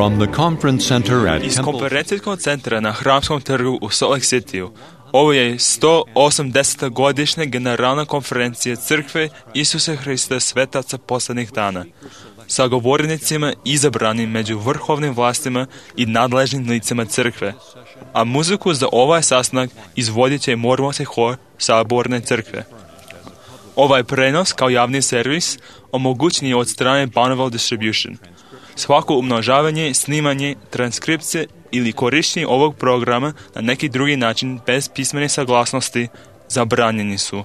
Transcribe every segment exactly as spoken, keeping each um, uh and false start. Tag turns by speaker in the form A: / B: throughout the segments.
A: From the conference center at
B: Iz
A: Temple
B: konferencijskog centra na Hramskom trgu u Salt Lake Cityu. Ovo je sto osamdeseta godišnja generalna konferencija Crkve Isusa Hrista svetaca posljednjih dana, sa govornicima izabranim među vrhovnim vlastima i nadležnim licima Crkve, a muziku za ovaj sastanak izvodit će mormonski hor Saborne Crkve. Ovaj prenos kao javni servis omogućen je od strane Bonneville Distribution. Svako umnožavanje, snimanje, transkripcije ili korištenje ovog programa na neki drugi način bez pismene saglasnosti zabranjeni su.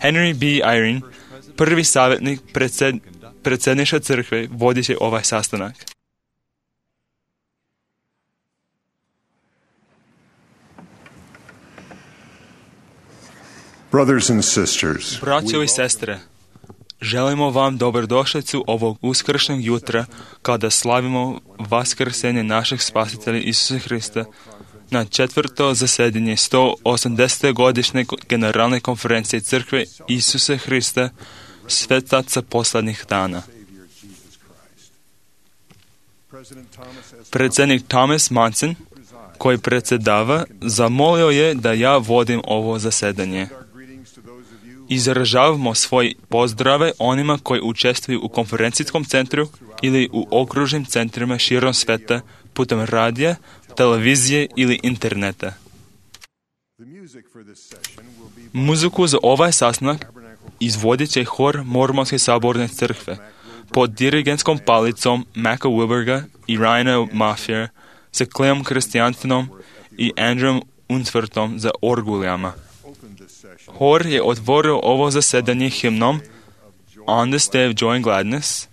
B: Henry B. Eyring, prvi savjetnik predsjed, predsjedništva crkve, vodit će ovaj sastanak.
C: Brothers and sisters,
B: Braćo i sestre, želimo vam dobrodošlicu ovog uskršnjeg jutra kada slavimo vaskrsenje našeg spasitelja Isusa Hrista na četvrto zasedanje sto osamdesete godišnje generalne konferencije Crkve Isusa Hrista svetaca posljednjih dana. Predsjednik Thomas Monson, koji predsjedava, zamolio je da ja vodim ovo zasedanje. Izražavamo svoje pozdrave onima koji učestvuju u konferencijskom centru ili u okružnim centrima širom sveta putem radija, televizije ili interneta. Muziku za ovaj sastanak izvodit će hor Mormonske saborne crkve pod dirigentskom palicom Macka Wilberga i Ryana Maffia sa Cleom Christiansenom i Andrewom Unsworthom za orgulijama. Hor je otvorio ovo zasedanje himnom On this Day of Joy and Gladness,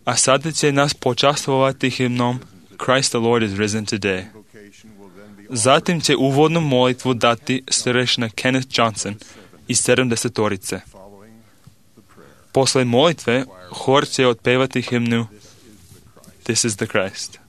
B: a sada će nas počastvovati himnom Christ the Lord is risen today. Zatim će uvodnu molitvu dati starešina Kenneth Johnson iz sedamdesetorice. Posle molitve, hor će otpevati himnu This is the Christ.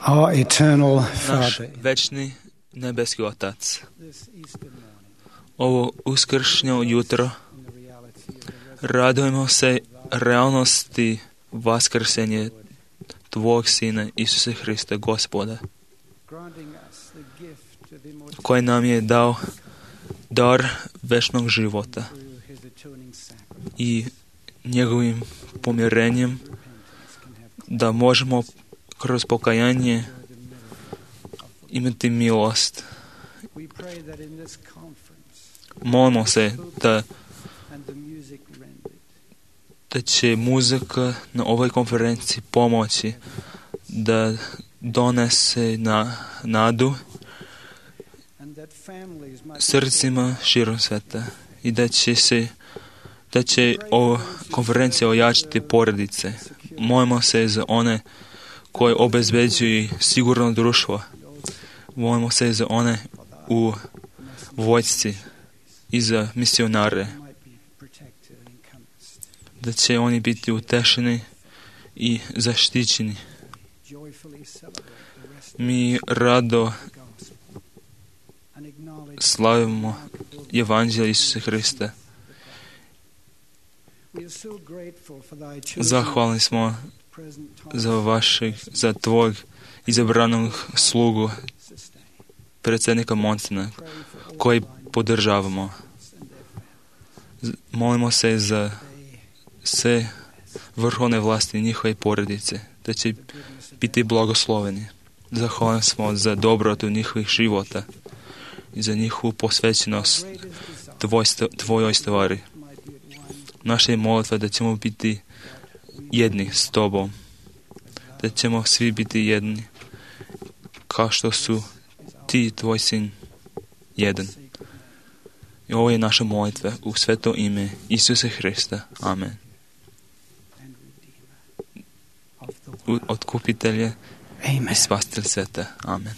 D: Our eternal
B: Naš
D: Father,
B: večni nebeski Otac, ovo uskršnjo jutro radujemo se realnosti vaskrsenje Tvojeg Sina Isuse Hrista Gospoda, koji nam je dao dar večnog života i njegovim pomirenjem da možemo kroz pokajanje imati milost. Molimo se da, da će muzika na ovoj konferenciji pomoći da donese na nadu srcima širom sveta i da će se da će ova konferencija ojačati porodice. Molimo se za one koji obezbeđuju sigurno društvo. Molimo se za one u vojsci i za misionare, da će oni biti utešeni i zaštićeni. Mi rado slavimo Evanđelje Isusa Hrista. Zahvalni smo za vašeg, za tvojeg izabranog slugu, predsjednika Monsena, koji podržavamo. Molimo se za sve vrhovne vlasti i njihove porodice, da će biti blagosloveni. Zahvalni smo za dobrotu njihovih života i za njihovu posvećenost tvoj, tvojoj stvari. Naša je molitva da ćemo biti jedni s tobom, da ćemo svi biti jedni, kao što su ti i tvoj sin jedan. I ovo je naša molitva u sveto ime Isusa Hrista. Amen. Otkupitelje i spasitelj sveta. Amen.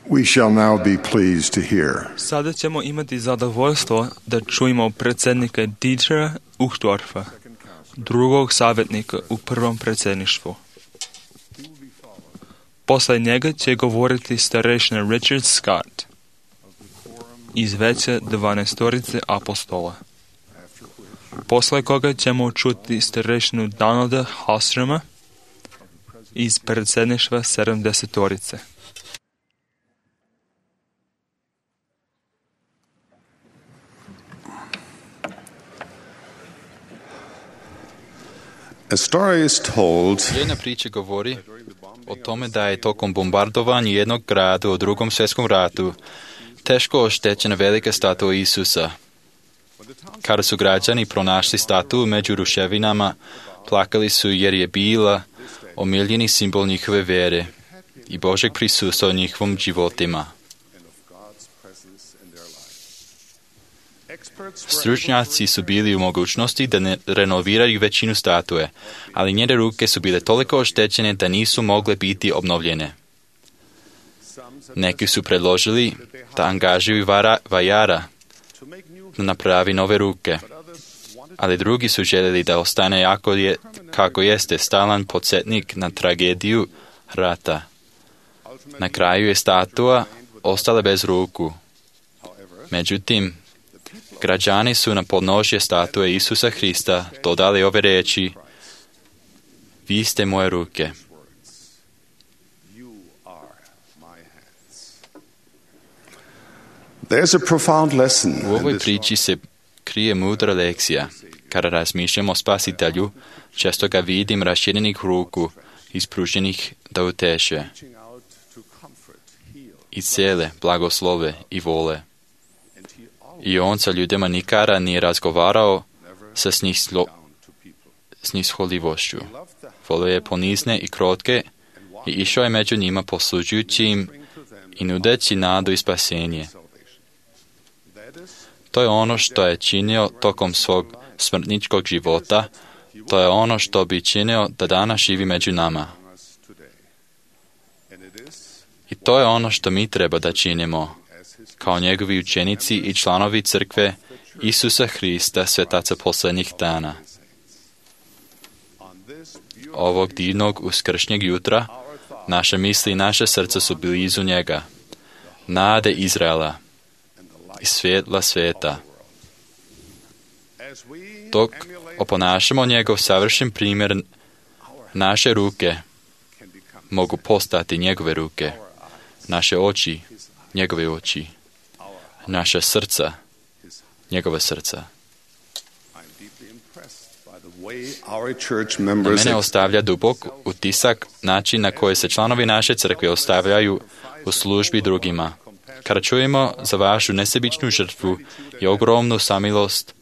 C: We shall now be pleased to hear
B: Sada ćemo imati zadovoljstvo da čujemo predsjednika Dietera Uchtdorfa, drugog savjetnika u prvom predsjedništvu. Posle njega će govoriti starešina Richard Scott iz veća dvanaestorice apostola. Posle koga ćemo čuti starešinu Donalda Halstroma iz predsjedništva sedamdesetorice.
C: A story is told
A: Jedna priča govori o tome da je tokom bombardovanja jednog grada u drugom svjetskom ratu teško oštećena velika statua Isusa. Kada su građani pronašli statu među ruševinama, plakali su jer je bila omiljeni simbol njihove vere i Božeg prisustva u njihovom životima. Stručnjaci su bili u mogućnosti da ne renoviraju većinu statue, ali njene ruke su bile toliko oštećene da nisu mogle biti obnovljene. Neki su predložili da angažuju vara, vajara da napravi nove ruke, ali drugi su željeli da ostane jako je, kako jeste stalan podsjetnik na tragediju rata. Na kraju je statua ostala bez ruku. Međutim, građani su na podnožje statue Isusa Hrista dodali ove riječi: Vi ste moje ruke.
C: there's a profound lesson
A: U
C: in
A: ovoj
C: this
A: priči se krije mudra lekcija. Kada razmišljam o Spasitelju, često ga vidim raširenih ruku, ispruženih da uteše, i cele, blagoslove i vole. I on sa ljudima nikada nije razgovarao sa snislo, snishodljivošću. Volio je ponizne i krotke i išao je među njima poslužujući im i nudeći nadu i spasenje. To je ono što je činio tokom svog smrtničkog života, to je ono što bi činio da danas živi među nama. I to je ono što mi treba da činimo, kao njegovi učenici i članovi crkve Isusa Hrista, svetaca posljednjih dana. Ovog divnog uskršnjeg jutra, naše misli i naše srca su blizu njega, nade Izraela i svjetla sveta. Dok oponašamo njegov savršen primjer, naše ruke mogu postati njegove ruke, naše oči njegove oči, naša srca njegova srca. Na mene ostavlja dubok utisak način na koji se članovi naše crkve ostavljaju u službi drugima. Kada čujemo za vašu nesebičnu žrtvu i ogromnu samilost,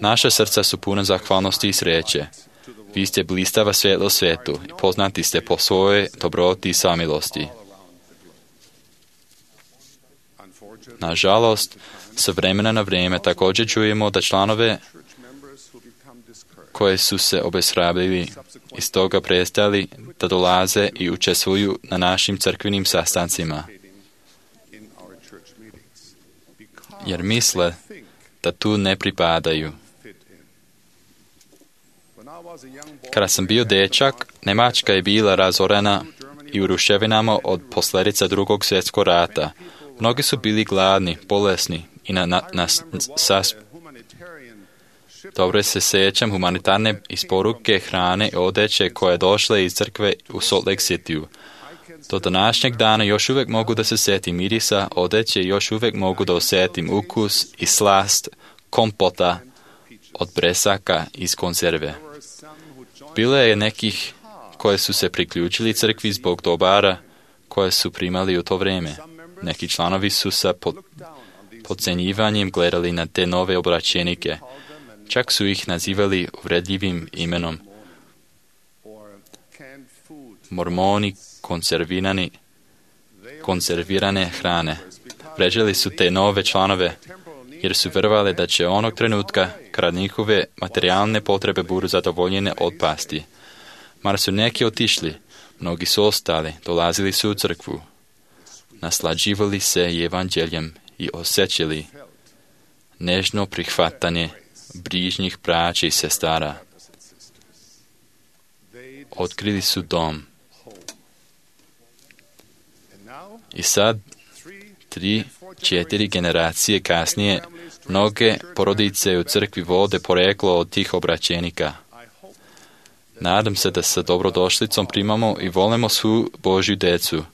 A: naša srca su puna zahvalnosti i sreće. Vi ste blistava svjetlo svijetu i poznati ste po svojoj dobroti i samilosti. Nažalost, sa vremena na vrijeme također čujemo da članove koje su se obeshrabrili i stoga prestali da dolaze i učestvuju na našim crkvenim sastancima, jer misle da tu ne pripadaju. Kada sam bio dečak, Njemačka je bila razorena i u ruševinama od posljedica drugog svjetskog rata. Mnogi su bili gladni, bolesni i na, na, na sas... Dobro se sjećam humanitarne isporuke hrane i odeće koje došle iz crkve u Salt Lake Cityu. Do današnjeg dana još uvijek mogu da se sjetim mirisa odeće i još uvijek mogu da osjetim ukus i slast kompota od bresaka iz konzerve. Bilo je nekih koje su se priključili crkvi zbog dobara koje su primali u to vrijeme. Neki članovi su sa pod, podcjenjivanjem gledali na te nove obraćenike. Čak su ih nazivali uvredljivim imenom. Mormoni konzervirani, konzervirane hrane. Vređali su te nove članove, jer su vjerovali da će onog trenutka, kada njihove materijalne potrebe budu zadovoljene, otpasti. Mar su neki otišli, mnogi su ostali, dolazili su u crkvu. naslađivali se evanđeljem i osjećali nežno prihvatanje bližnjih braća i sestara. Otkrili su dom. I sad, tri, četiri generacije kasnije, mnoge porodice u crkvi vode poreklo od tih obraćenika. Nadam se da sa dobrodošlicom primamo i volimo svu Božju decu,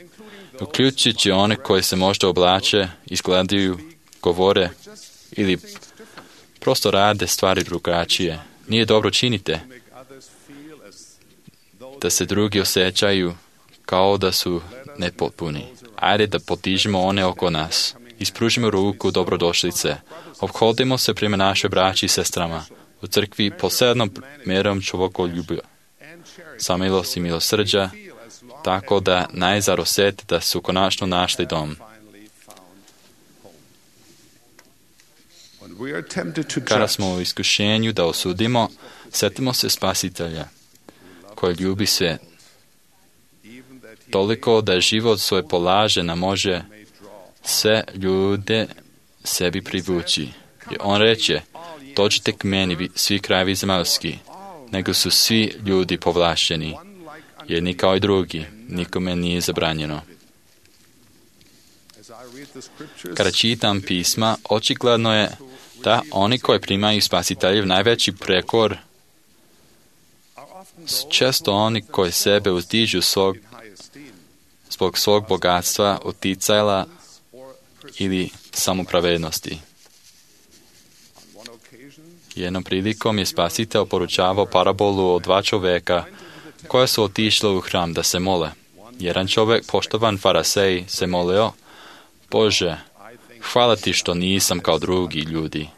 A: uključujući one koji se možda oblače, izgledaju, govore ili prosto rade stvari drugačije. Nije dobro činite da se drugi osjećaju kao da su nepotpuni. Ajde da potižemo one oko nas. Ispružimo ruku dobrodošlice. Ophodimo se prema našoj braći i sestrama. U crkvi posebnom mjerom čovjekoljublja, samilosti i milosrđa, tako da najzar osjeti da su konačno našli dom. Kada smo u iskušenju da osudimo, sjetimo se Spasitelja, koji ljubi svijet. Toliko da život svoj polaže na može sve ljude sebi privući. I on reče, dođite k meni svi krajevi zemaljski, nego su svi ljudi povlašteni, jedni kao i drugi, nikome nije zabranjeno. Kada čitam pisma, očigledno je da oni koji primaju Spasiteljev najveći prekor, često oni koji sebe uzdižu svog, zbog svog bogatstva, uticajla ili samopravednosti. Jednom prilikom je Spasitelj poručavao parabolu o dva čovjeka koja su otišla u hram da se mole. Jedan čovjek, poštovan farisej, se molio, Bože, hvala ti što nisam kao drugi ljudi,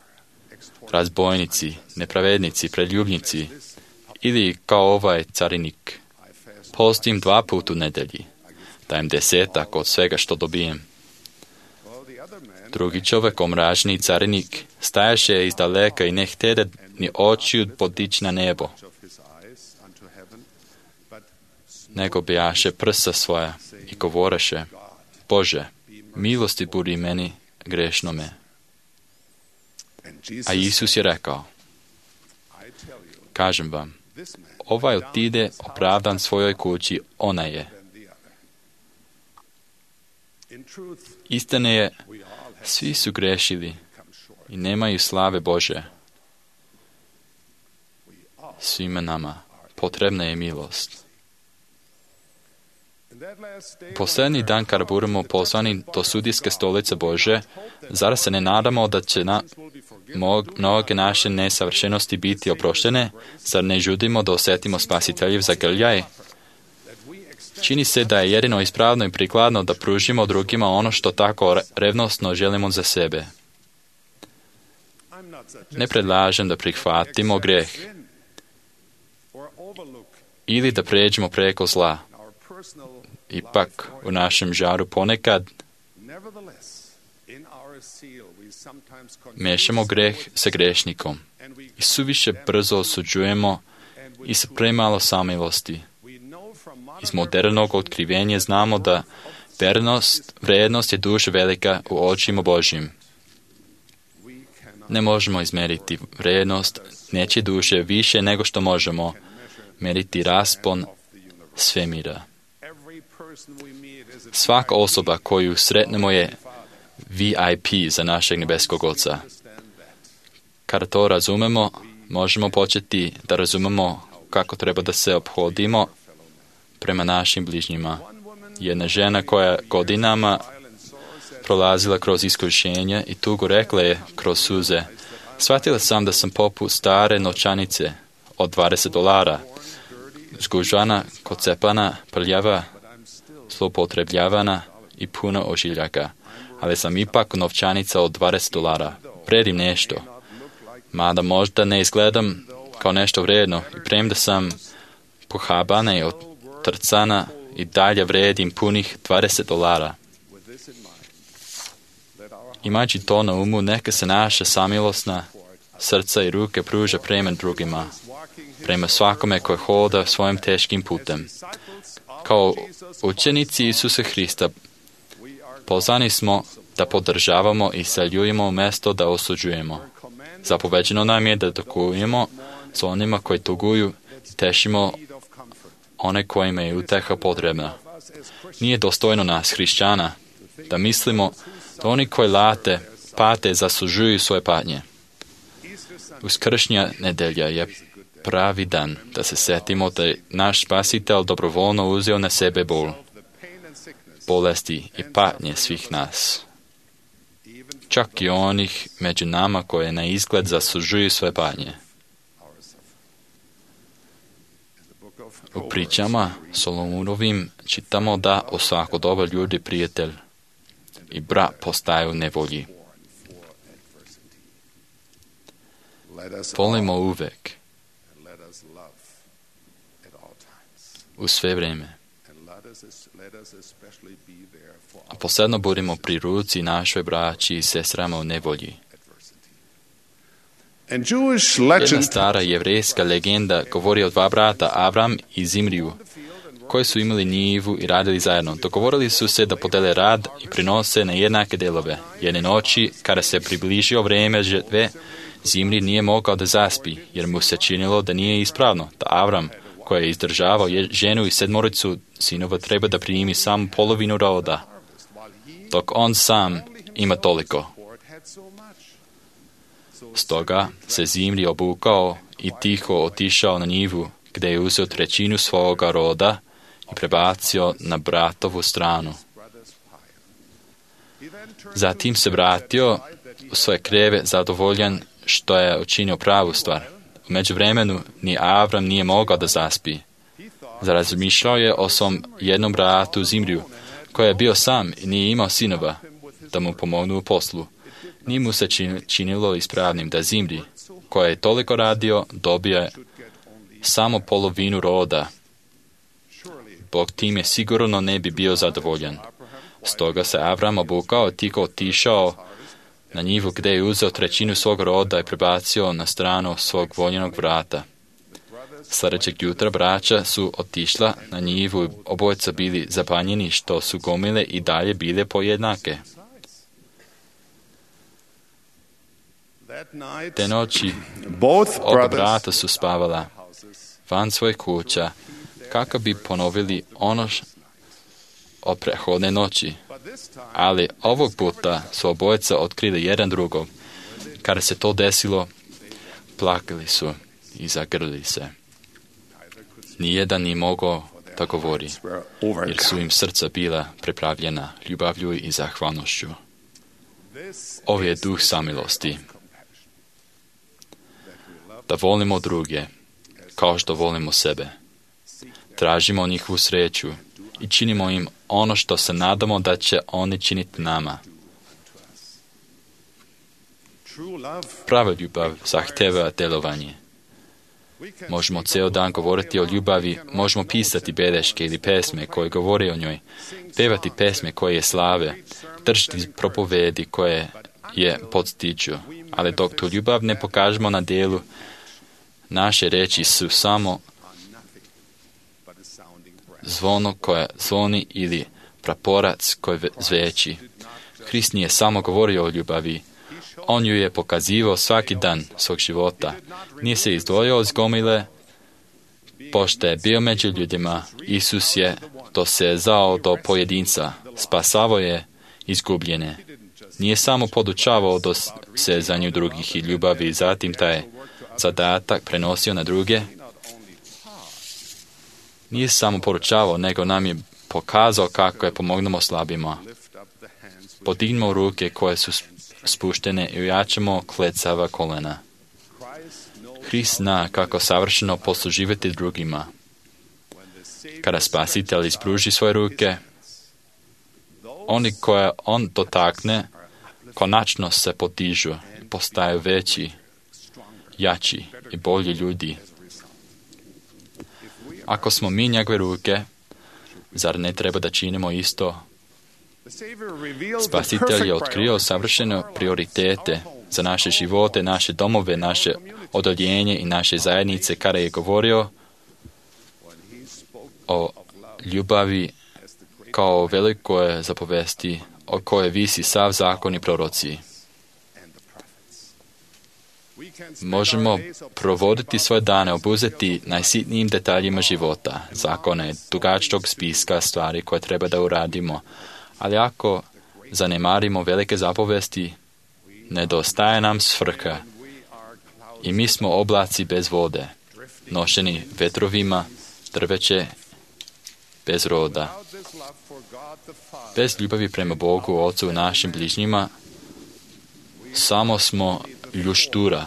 A: razbojnici, nepravednici, preljubnici, ili kao ovaj carinik. Postim dva puta u nedelji, dajem desetak od svega što dobijem. Drugi čovjek, omražni carinik, stajaše iz daleka i ne htede ni očiju podići na nebo, nego bijaše prsa svoja i govoreše, Bože, milosti budi meni grešnome. A Isus je rekao, kažem vam, ovaj otide opravdan svojoj kući, ona je. Istine je, svi su grešili i nemaju slave Bože. Svima nama potrebna je milost. Posljednji dan kada budemo poslani do sudijske stolice Bože, zar se ne nadamo da će na mnoge naše nesavršenosti biti oproštene? Zar ne žudimo da osjetimo Spasiteljev zagrljaj? Čini se da je jedino ispravno i prikladno da pružimo drugima ono što tako revnosno želimo za sebe. Ne predlažem da prihvatimo greh ili da pređemo preko zla. Ipak, u našem žaru ponekad mešamo greh sa grešnikom i suviše brzo osuđujemo i sa premalo samilosti. Iz modernog otkrivenja znamo da vernost, vrednost je duše velika u očima Božjim. Ne možemo izmeriti vrednost nečije duše više nego što možemo meriti raspon svemira. Svaka osoba koju sretnemo je V I P za našeg nebeskog Oca. Kada to razumemo, možemo početi da razumemo kako treba da se ophodimo prema našim bližnjima. Jedna žena koja godinama prolazila kroz iskušenje i tugu rekla je kroz suze, shvatila sam da sam poput stare novčanice od dvadeset dolara, zgužvana, kocepana, prljava, zloupotrebljavana i puno ožiljaka, ali sam ipak novčanica od dvadeset dolara. Vredim nešto, mada možda ne izgledam kao nešto vredno i premda sam pohabana i otrcana i dalje vredim punih dvadeset dolara. Imajući to na umu, neka se naša samilosna srca i ruke pruža prema drugima, prema svakome koji hoda svojim teškim putem. Kao učenici Isusa Hrista Pozvani smo da podržavamo i saljujemo umjesto da osuđujemo. Zapoveđeno nam je da dokujemo s onima koji tuguju, tešimo one kojima je uteha potrebna. Nije dostojno nas, hrišćana, da mislimo da oni koji late, pate, zaslužuju svoje patnje. Uskršnja nedelja je pravi dan da se setimo da je naš Spasitelj dobrovoljno uzeo na sebe bol, bolesti i patnje svih nas. Čak i onih među nama koje na izgled zaslužuju svoje patnje. U pričama Solomonovim čitamo da u svako doba ljudi prijatelj i brat postaju u nevolji. Volimo uvek, u sve vrijeme. A posebno budemo pri ruci našoj braći i sestrama u nevolji. Jedna stara jevrejska legenda govori o dva brata, Avram i Zimriju, koji su imali njivu i radili zajedno. Dogovorili su se da podele rad i prinose na jednake delove. Jedne noći, kada se približio vrijeme žetve, Zimri nije mogao da zaspi, jer mu se činilo da nije ispravno, da Avram, koji je izdržavao ženu i sedmoricu sinova, treba da primi samo polovinu roda, dok on sam ima toliko. Stoga se Zimri obukao i tiho otišao na njivu, gdje je uzeo trećinu svoga roda i prebacio na bratovu stranu. Zatim se vratio u svoje kreve zadovoljan što je učinio pravu stvar. U međuvremenu ni Avram nije mogao da zaspi. Razmišljao je o svom jednom bratu Zimriju, koji je bio sam i nije imao sinova da mu pomognu u poslu. Nije mu se činilo ispravnim da Zimri, koji je toliko radio, dobije samo polovinu roda. Bog time sigurno ne bi bio zadovoljan. Stoga se Avram obukao i tiho otišao na njivu, gdje je uzeo trećinu svog roda i prebacio na stranu svog voljenog vrata. Sljedećeg jutra braća su otišla na njivu i obojica bili zapanjeni što su gomile i dalje bile pojednake. Te noći oba brata su spavala van svojih kuća kako bi ponovili ono od prethodne noći. Ali ovog puta su obojica otkrili jedan drugog. Kada se to desilo, plakali su i zagrlili se. Nijedan nije mogao da govori, jer su im srca bila prepravljena ljubavlju i zahvalnošću. Ovo je duh samilosti. Da volimo druge, kao što volimo sebe. Tražimo njihovu sreću i činimo im ono što se nadamo da će oni činiti nama. Prava ljubav zahteva djelovanje. Možemo cijel dan govoriti o ljubavi, možemo pisati beleške ili pesme koje govore o njoj, pevati pesme koje je slave, držati propovedi koje je podstiču, ali dok tu ljubav ne pokažemo na djelu, naše reči su samo zvono koje zvoni ili praporac koji zveči. Hrist nije samo govorio o ljubavi, on ju je pokazivao svaki dan svog života. Nije se izdvojio iz gomile, pošto je bio među ljudima. Isus je dosezao do pojedinca, spasavao je izgubljene. Nije samo podučavao dosezanju drugih i ljubavi, zatim taj zadatak prenosio na druge. Nije samo poručavao, nego nam je pokazao kako je pomognemo slabima. Podignimo ruke koje su spuštene i ojačamo klecava kolena. Hrist zna kako savršeno posluživati drugima. Kada Spasitelj ispruži svoje ruke, oni koje on dotakne, konačno se podižu i postaju veći, jači i bolji ljudi. Ako smo mi njegove ruke, zar ne treba da činimo isto? Spasitelj je otkrio savršene prioritete za naše živote, naše domove, naše odoljenje i naše zajednice, kada je govorio o ljubavi kao velikoj zapovesti o kojoj visi sav zakon i proroci. Možemo provoditi svoje dane, obuzeti najsitnijim detaljima života, zakone, dugačkog spiska stvari koje treba da uradimo, ali ako zanemarimo velike zapovesti, nedostaje nam svrha i mi smo oblaci bez vode, nošeni vetrovima, drveće bez roda. Bez ljubavi prema Bogu, Ocu i našim bližnjima, samo smo ljuštura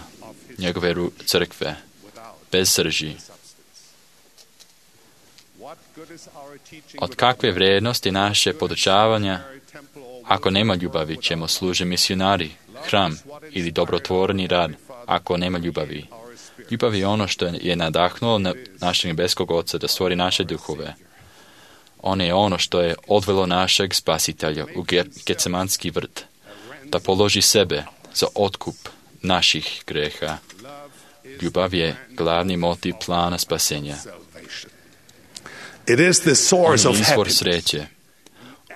A: njegove crkve, bez srži. Od kakve vrijednosti naše podučavanja, ako nema ljubavi, čemu služe misionari, hram ili dobrotvorni rad, ako nema ljubavi? Ljubav je ono što je nadahnulo našeg nebeskog Oca da stvori naše duhove. On je ono što je odvelo našeg spasitelja u Getsemanski vrt, da položi sebe za otkup naših greha. Ljubav je glavni motiv plana spasenja.
C: It is the source
A: On
C: of
A: je izvor
C: happiness.
A: sreće.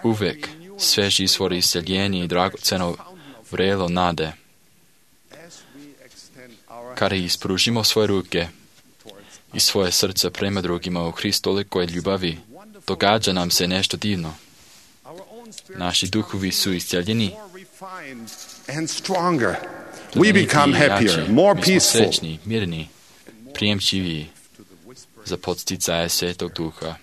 A: Uvek svež izvor isceljenja i dragoceno vrelo nade. Kada ispružimo svoje ruke i svoje srce prema drugima u Hristolikoj ljubavi, događa nam se nešto divno. Naši duhovi su isceljeni,
C: And stronger. We become happier, more
A: mi smo
C: peaceful.
A: srećni, mirni, prijemčiviji za podsticaje Svetog Duha.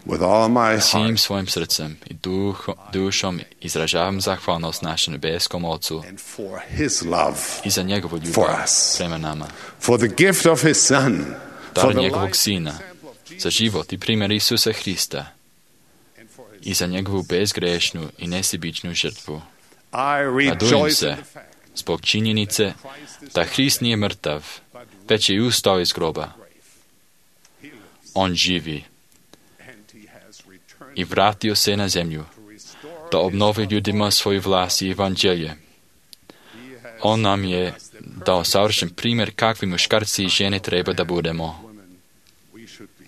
C: With all my
A: Svim
C: heart
A: svojim srcem i duho, dušom izražavam zahvalnost našem nebeskom Ocu
C: and for His love,
A: i za njegovu
C: For
A: ljubav
C: us.
A: prema nama.
C: for the gift of His Son, for
A: Dar
C: the
A: njegovog
C: life
A: Sina, za život i primjer Isusa Hrista i za njegovu bezgrešnu i nesebičnu žrtvu.
C: I
A: Radujem
C: rejoice
A: se
C: in the fact
A: zbog činjenice da Hrist nije mrtav, već je ustao iz groba. On živi
C: and He has returned
A: i vratio se na zemlju da obnovi ljudima svoju vlast i evanđelje. On nam je dao savršen primjer kakvi muškarci i žene treba da budemo.
C: we should be.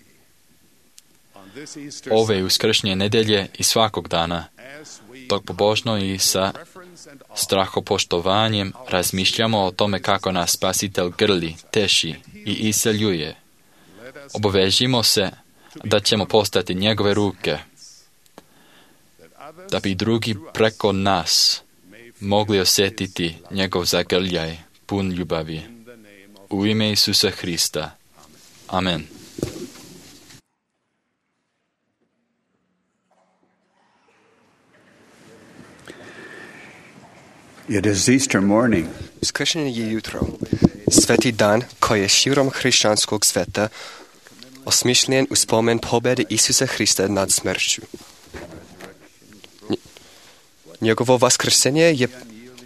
C: On this Easter
A: Ove uskršnje nedelje i svakog dana,
C: as we
A: dok pobožno i sa
C: reverence and awe
A: strahopoštovanjem razmišljamo o tome kako nas Spasitelj grli, teši i isceljuje, obavežimo se da ćemo postati njegove ruke, da bi drugi preko nas mogli osjetiti njegov zagrljaj pun ljubavi. U ime Isusa Hrista. Amen.
D: It is Easter morning.
E: Uskršnje je jutro, sveti dan koji je širom hrišćanskog sveta osmišljen u spomen pobjede Isusa Hrista nad smrću. Njegovo vaskrsenje je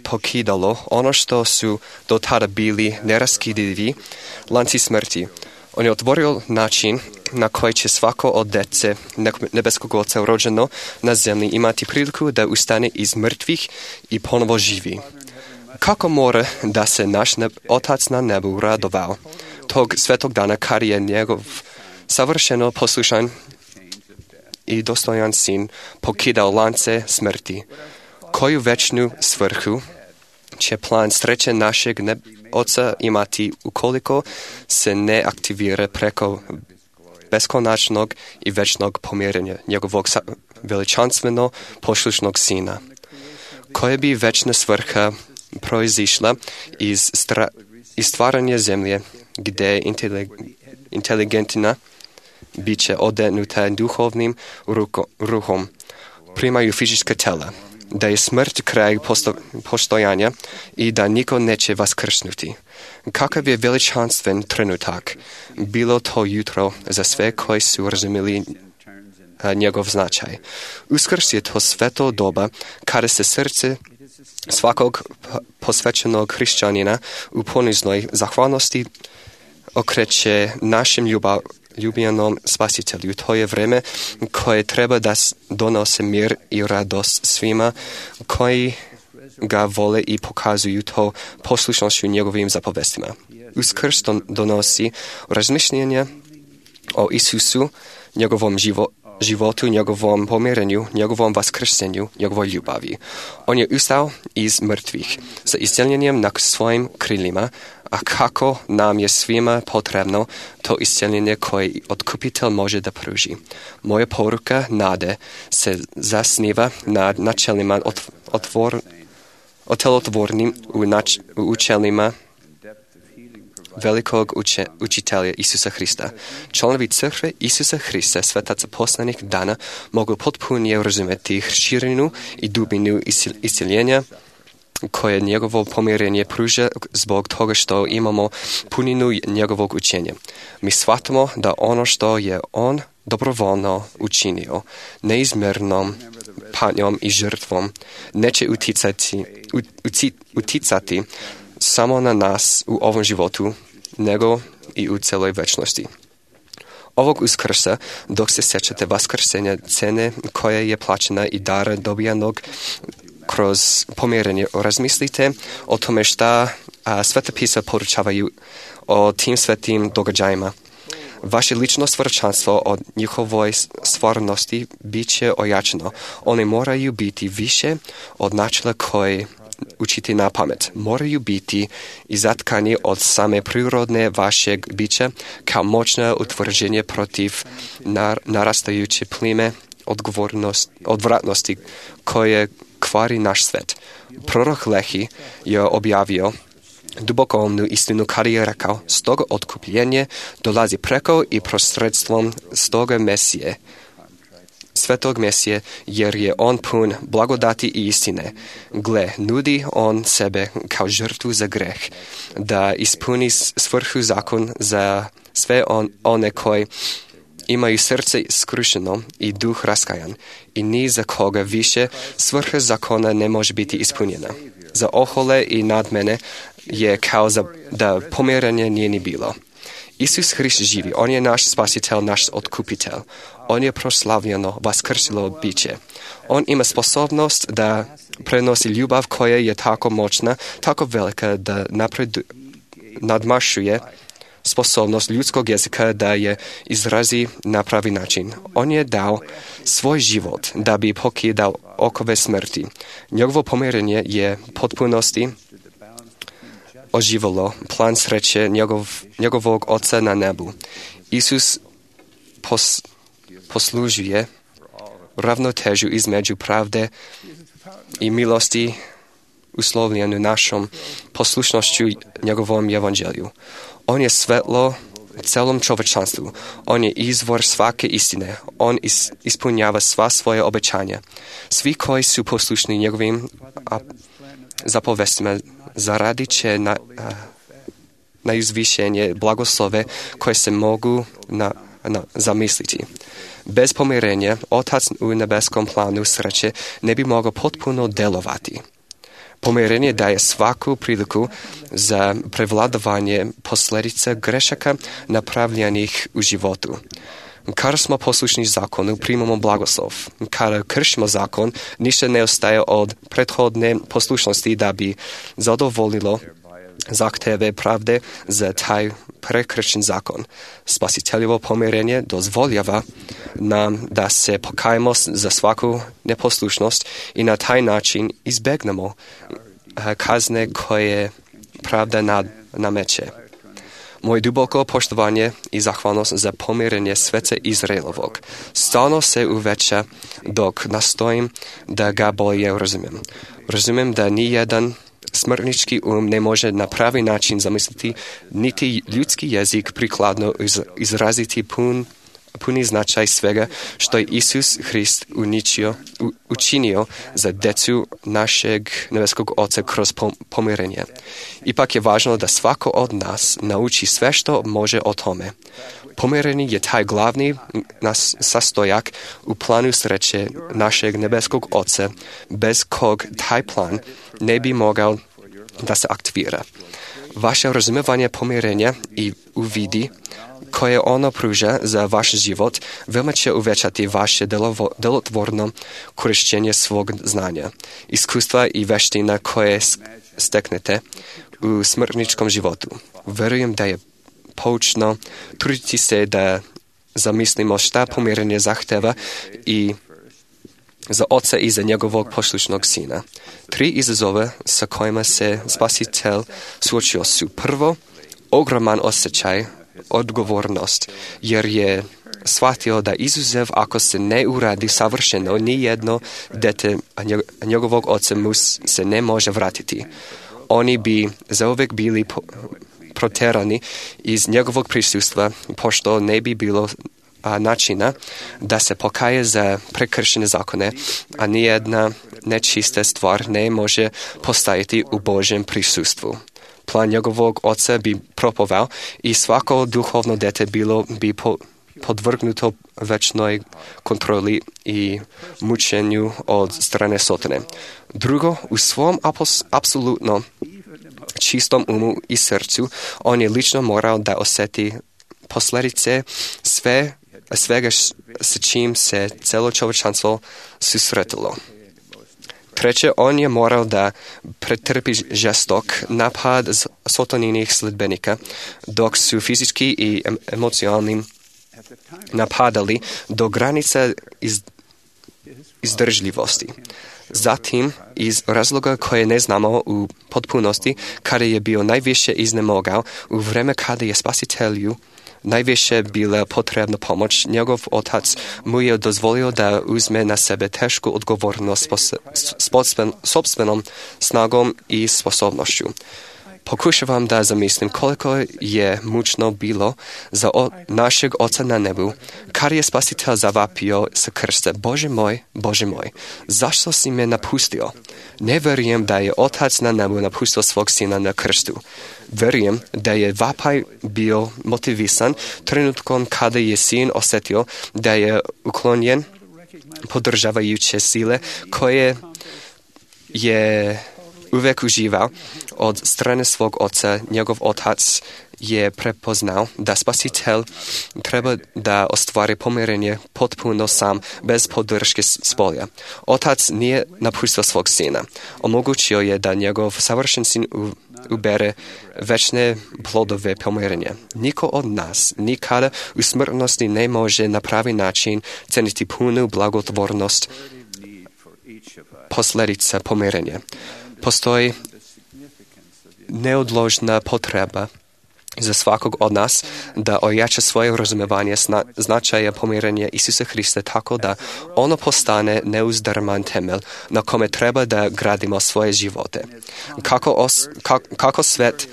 E: pokidalo ono što su do tada bili neraskidivi lanci smrti. On je otvorio način na koji će svako od dece nebeskog Oca rođeno na zemlji imati priliku da ustane iz mrtvih i ponovo živi. Kako mora da se naš neb, Otac na nebu radovao tog svetog dana kad je njegov savršeno poslušan i dostojan sin pokidao lance smrti? Koju večnu svrhu će plan sreće našeg neb, Oca imati ukoliko se ne aktivira preko beskonačnog i večnog pomirenja njegovog veličanstveno poslušnog sina? Koja bi večna svrha proizišla iz, stra, iz stvaranja zemlje gdje intelig, inteligentna biće odenuta duhovnim ruko, ruhom primaju fizička tela, da je smrt kraj posto, postojanja i da niko neće vaskrsnuti. Kakav je veličanstven trenutak bilo to jutro za sve koji su razumjeli njegov značaj. Uskrs je to sveto doba kada se srce svakog posvećenog hrišćanina u poniznoj zahvalnosti okreće našem ljubav, ljubljenom spasitelju. To je vreme koje treba da donose mir i radost svima koji ga vole i pokazuju to poslušnošću njegovim zapovestima. Uskrs donosi razmišljenja o Isusu, njegovom živo, životu, njegovom pomirenju, njegovom vaskrsenju, njegovoj ljubavi. On je ustao iz mrtvih sa isceljenjem na svojim krilima, a kako nam je svima potrebno to isceljenje koje otkupitelj može da pruži. Moja poruka nade se zasniva na načelima otvor, otelotvornim u, nač, u učelima velikog uče, učitelja Isusa Hrista. Članovi crkve Isusa Hrista, svetaca poslanih dana, mogu potpunije razumjeti širinu i dubinu isceljenja koje njegovo pomirenje pruža zbog toga što imamo puninu njegovog učenja. Mi shvatimo da ono što je on dobrovoljno učinio, neizmjernom patnjom i žrtvom, neće uticati, uticati samo na nas u ovom životu, nego i u celoj večnosti. Ovog uskrsa, dok se sjećate vaskrsenja, cene koja je plaćena i dara dobijanog kroz pomirenje, razmislite o tome šta a, Sveta pisa poručavaju o tim svetim događajima. Vaše lično svjedočanstvo od njihovoj stvarnosti bit će ojačano. One moraju biti više od načela koje učiti na pamet. Moraju biti izatkani od same prirodne vašeg bića kao moćno utvrđenje protiv nar- narastajuće plime odvratnosti koje kvari naš svet. Prorok Lehi je objavio dubokomnu istinu kada je rekao: stoga otkupljenje dolazi preko i prosredstvom stoga Mesije, svetog Mesije, jer je on pun blagodati i istine. Gle, nudi on sebe kao žrtvu za greh, da ispuni svrhu zakon za sve on, one koji imaju srce skrušeno i duh raskajan, i ni za koga više svrha zakona ne može biti ispunjena. Za ohole i nadmene je kao za, da pomiranje nije ni bilo. Isus Hrist živi, on je naš spasitelj, naš otkupitelj. On je proslavljeno, vaskrsilo biće. On ima sposobnost da prenosi ljubav koja je tako moćna, tako velika da napred, nadmašuje sposobnost ljudskog jezika da je izrazi na pravi način. On je dao svoj život da bi pokidao okove smrti. Njegovo pomirenje je potpunosti oživilo plan sreće njegov, njegovog Oca na nebu. Isus pos, poslužuje ravnotežu između pravde i milosti uslovljenu našom poslušnošću njegovom evanđelju. On je svetlo celom čovječanstvu. On je izvor svake istine. On is, ispunjava sva svoje obećanja. Svi koji su poslušni njegovim a, zapovestima zaradit će na, a, na izvišenje blagoslove koje se mogu na, na, zamisliti. Bez pomirenja, Otac u nebeskom planu sreće ne bi mogao potpuno delovati. Pomirenje daje svaku priliku za prevladavanje posljedica grešaka napravljenih u životu. Kada smo poslušni zakonu, primamo blagoslov. Kada kršimo zakon, ništa ne ostaje od prethodne poslušnosti da bi zadovoljilo zahteve pravde za taj prekršen zakon. Spasiteljevo pomirenje dozvoljava nam da se pokajemo za svaku neposlušnost i na taj način izbegnemo kazne koje pravda nad, nameće. Moje duboko poštovanje i zahvalnost za pomirenje sveta Izraelovog stalno se uveća dok nastojim da ga bolje razumijem. Razumijem da ni jedan smrtnički um ne može na pravi način zamisliti, niti ljudski jezik prikladno izraziti pun, puni značaj svega što je Isus Hrist uničio, u, učinio za decu našeg nebeskog Oca kroz pomirenje. Ipak je važno da svako od nas nauči sve što može o tome. Pomirenje je taj glavni nas sastojak u planu sreće našeg nebeskog Oca, bez kog taj plan ne bi mogao da se aktivira. Vaše razumevanje pomirenja i uvidi koje ono pruža za vaš život veoma će uvećati vaše delovo, delotvorno korištenje svog znanja, iskustva i veština koje steknete u smrtničkom životu. Verujem da je poučno truditi se da zamislimo šta pomirenje zahteva i za oca i za njegovog poslušnog sina. Tri izazove sa kojima se Spasitelj suočio su: prvo, ogroman osjećaj, odgovornost, jer je shvatio da izuzev ako se ne uradi savršeno, ni jedno dete njegovog oca mu se ne može vratiti. Oni bi zauvek bili po, proterani iz njegovog prisustva, pošto ne bi bilo a, načina da se pokaje za prekršene zakone, a nijedna nečista stvar ne može postajati u Božjem prisustvu. Plan njegovog oca bi propovao i svako duhovno dete bilo bi po, podvrgnuto večnoj kontroli i mučenju od strane Sotone. Drugo, u svom apos, apsolutno čistom umu i srcu, on je lično morao da osjeti posljedice sve, svega s čim se celo čovječanstvo susretilo. Treće, on je morao da pretrpi žestok napad Sotoninih sledbenika, dok su fizički i emocionalnim napadali do granica iz, izdržljivosti. Zatim, iz razloga koje ne znamo u potpunosti, kada je bio najviše iznemogao, u vreme kada je Spasitelju najviše bila potrebna pomoć, njegov otac mu je dozvolio da uzme na sebe tešku odgovornost s sopstvenom snagom i sposobnošću. Pokušavam da zamislim koliko je mučno bilo za o, našeg Oca na nebu, kad je Spasitelj zavapio sa krsta: Bože moj, Bože moj, zašto si me napustio? Ne verujem da je Otac na nebu napustio svog sina na krstu. Verujem da je vapaj bio motivisan trenutkom kada je sin osjetio da je uklonjen podržavajuće sile koje je uvek uživao od strane svog oca. Njegov otac je prepoznao da Spasitelj treba da ostvari pomirenje potpuno sam, bez podrške spolja. Otac nije napustio svog sina. Omogućio je da njegov savršen sin ubere večne plodove pomirenja. Niko od nas nikada u smrtnosti ne može na pravi način ceniti punu blagotvornost posljedica pomirenja. Postoji neodložna potreba za svakog od nas da ojača svoje razumevanje značaja pomirenja Isusa Hrista tako da ono postane neuzdrman temelj na kome treba da gradimo svoje živote. Kako, os, ka, kako svet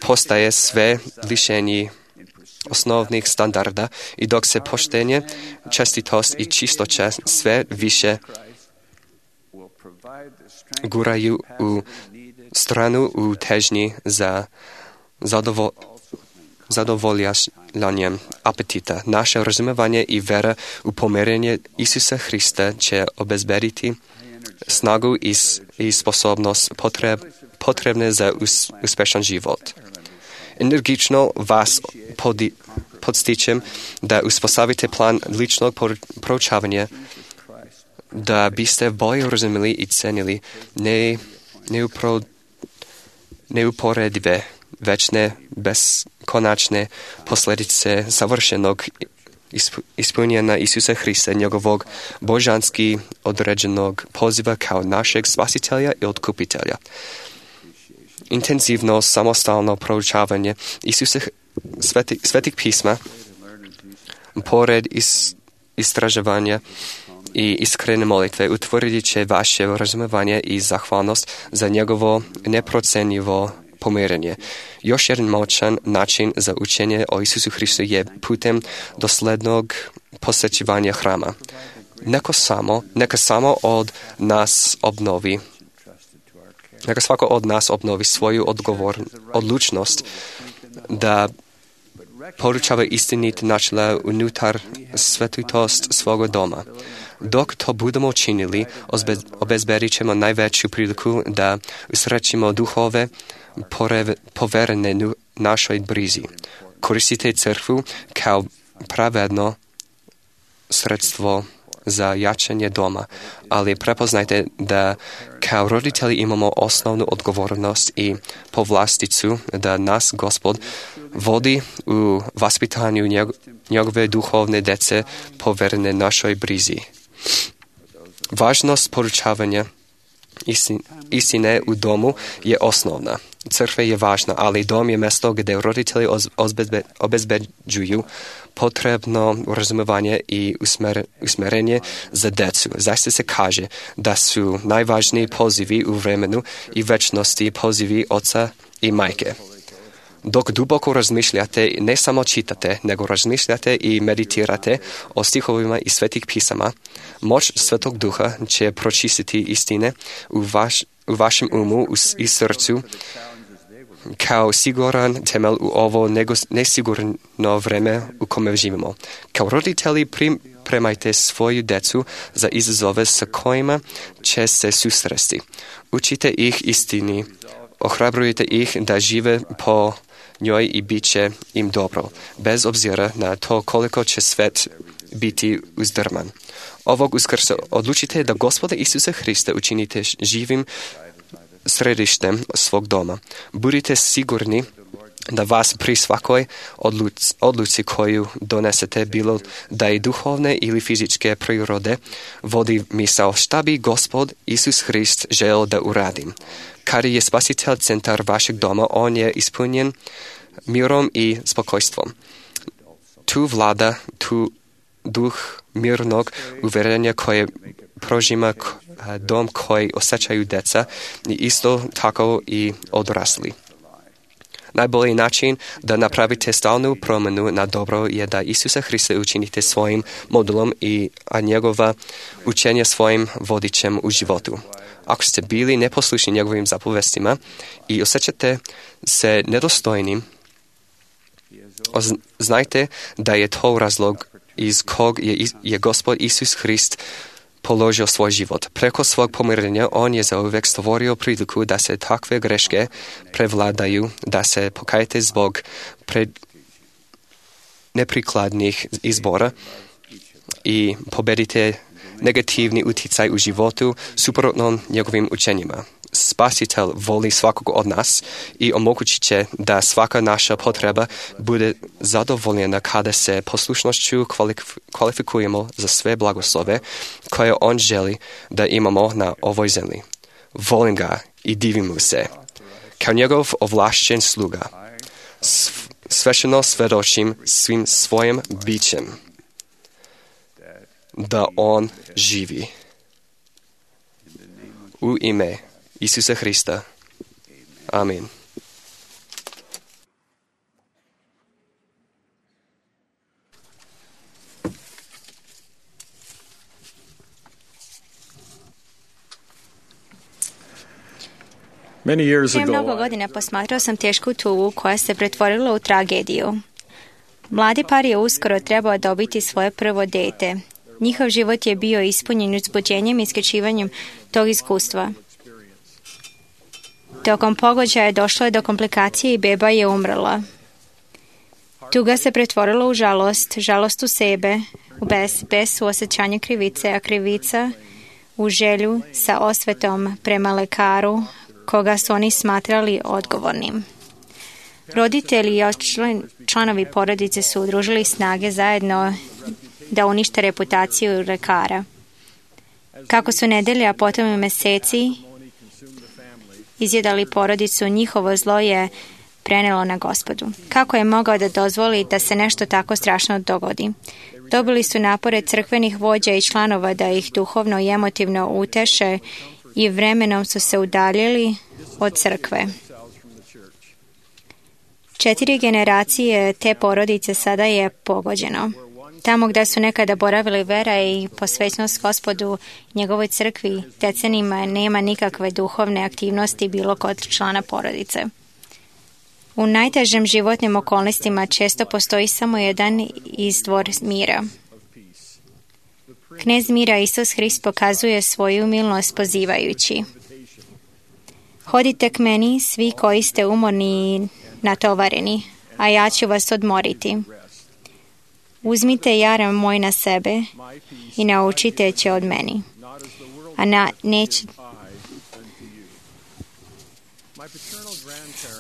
E: postaje sve lišenji osnovnih standarda i dok se poštenje, čestitost i čistoća sve više guraju u stranu u težnji za zadovo, zadovoljanjem apetita. Naše razumevanje i vera u pomirenje Isusa Hrista će obezbediti snagu i, i sposobnost potreb, potrebne za us, uspešan život. Energično vas podi, podstičem da uspostavite plan ličnog proučavanja da biste bolje razumeli i cenili ne, neupro, neuporedive, večne, beskonačne posljedice savršenog ispunjenja Isusa Hrista, njegovog božanski određenog poziva kao našeg Spasitelja i Otkupitelja. Intenzivno, samostalno proučavanje Isusa sveti, svetih pisma, pored is, istraživanja i iskrene molitve, utvrdit će vaše razumevanje i zahvalnost za njegovo neprocenjivo pomirenje. Još jedan moćan način za učenje o Isusu Hristu je putem doslednog posjećivanja hrama. Neka samo, neka samo od nas obnovi, neka svako od nas obnovi svoju odgovor, odlučnost da poručava istinit načela unutar svetitost svoga doma. Dok to budemo činili, obezbedit ćemo najveću priliku da usrećimo duhove poverene našoj brizi. Koristite crkvu kao pravedno sredstvo za jačanje doma, ali prepoznajte da Kao roditelji imamo osnovnu odgovornost i povlasticu da nas Gospod vodi u vaspitanju njegove duhovne dece poverene našoj brizi. Važnost poručavanja istine u domu je osnovna. Crkva je važna, ali dom je mjesto gdje roditelji obezbeđuju potrebno razumevanje i usmjerenje za decu. Zaista se kaže da su najvažniji pozivi u vremenu i večnosti pozivi oca i majke. Dok duboko razmišljate, ne samo čitate, nego razmišljate i meditirate o stihovima iz svetih pisama, moć Svetog Duha će pročistiti istine u, vaš, u vašem umu i srcu kao siguran temelj u ovo nesigurno vreme u kome živimo. Kao roditelji pripremajte svoju decu za izazove sa kojima će se susresti. Učite ih istini, ohrabrujte ih da žive po njoj i bit će im dobro, bez obzira na to koliko će svet biti uzdrman. Ovog Uskrsa odlučite da Gospoda Isusa Hrista učinite živim središtem svog doma. Budite sigurni da vas pri svakoj odluci, odluci koju donesete, bilo da je duhovne ili fizičke prirode, vodi misao šta bi Gospod Isus Hrist želeo da uradim. Kada je Spasitelj centar vašeg doma, on je ispunjen mirom i spokojstvom. Tu vlada tu duh mirnog uvjerenja koje prožima dom koji osjećaju deca i isto tako i odrasli. Najbolji način da napravite stalnu promjenu na dobro je da Isusa Hrista učinite svojim modelom i a njegova učenja svojim vodičem u životu. Ako ste bili neposlušni njegovim zapovestima i osjećate se nedostojnim, znajte da je to razlog iz kog je, je Gospod Isus Hrist položio svoj život. Preko svog pomirenja on je zauvijek stvorio priliku da se takve greške prevladaju, da se pokajete zbog pred neprikladnih izbora i pobedite negativni utjecaj u životu suprotno njegovim učenjima. Spasitelj voli svakog od nas i omogućit će da svaka naša potreba bude zadovoljena kada se poslušnošću kvalifikujemo za sve blagoslove koje on želi da imamo na ovoj zemlji. Volim ga i divim mu se. Kao njegov ovlašćen sluga, svečano svedočim svim svojim bićem da on živi. U ime Isusa Hrista. Amen.
C: Many years
F: Prije
C: ago,
F: mnogo godina posmatrao sam tešku tugu koja se pretvorila u tragediju. Mladi par je uskoro trebao dobiti svoje prvo dete. Njihov život je bio ispunjen uzbuđenjem i isključivanjem tog iskustva. Tokom pogođaja došlo je do komplikacije i beba je umrla. Tuga se pretvorila u žalost, žalost u sebe, u bes, bes u osjećanje krivice, a krivica u želju sa osvetom prema lekaru, koga su oni smatrali odgovornim. Roditelji i članovi porodice su udružili snage zajedno da unište reputaciju lekara. Kako su nedelje, a potom i meseci izjedali porodicu, njihovo zlo je prenelo na Gospodu. Kako je mogao da dozvoli da se nešto tako strašno dogodi? Dobili su napore crkvenih vođa i članova da ih duhovno i emotivno uteše i vremenom su se udaljili od crkve. Četiri generacije te porodice sada je pogođeno. Tamo gdje su nekada boravili vera i posvećnost Gospodu njegovoj crkvi, decenijima nema nikakve duhovne aktivnosti bilo kod člana porodice. U najtežim životnim okolnostima često postoji samo jedan izvor mira. Knez mira Isus Hrist pokazuje svoju milost pozivajući: hodite k meni svi koji ste umorni i natovareni, a ja ću vas odmoriti. Uzmite jaram moj na sebe i naučite će od meni, a na, neć,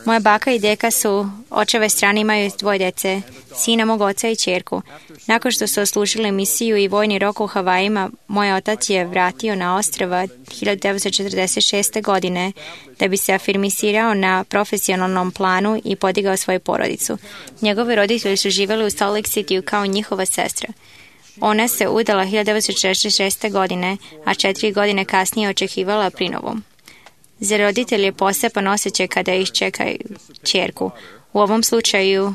F: Moja baka i deka su, očeve strane imaju dvoje dece, sina mog oca i ćerku. Nakon što su oslužili misiju i vojni rok u Havajima, moj otac je vratio na ostrva hiljadu devetsto četrdeset šeste. godine da bi se afirmisirao na profesionalnom planu i podigao svoju porodicu. Njegovi roditelji su živjeli u Salt Lake City kao njihova sestra. Ona se udala hiljadu devetsto četrdeset šeste. godine, a četiri godine kasnije očekivala prinovu. Za roditelj je poseban osjećaj kada iščekaju ćerku, u ovom slučaju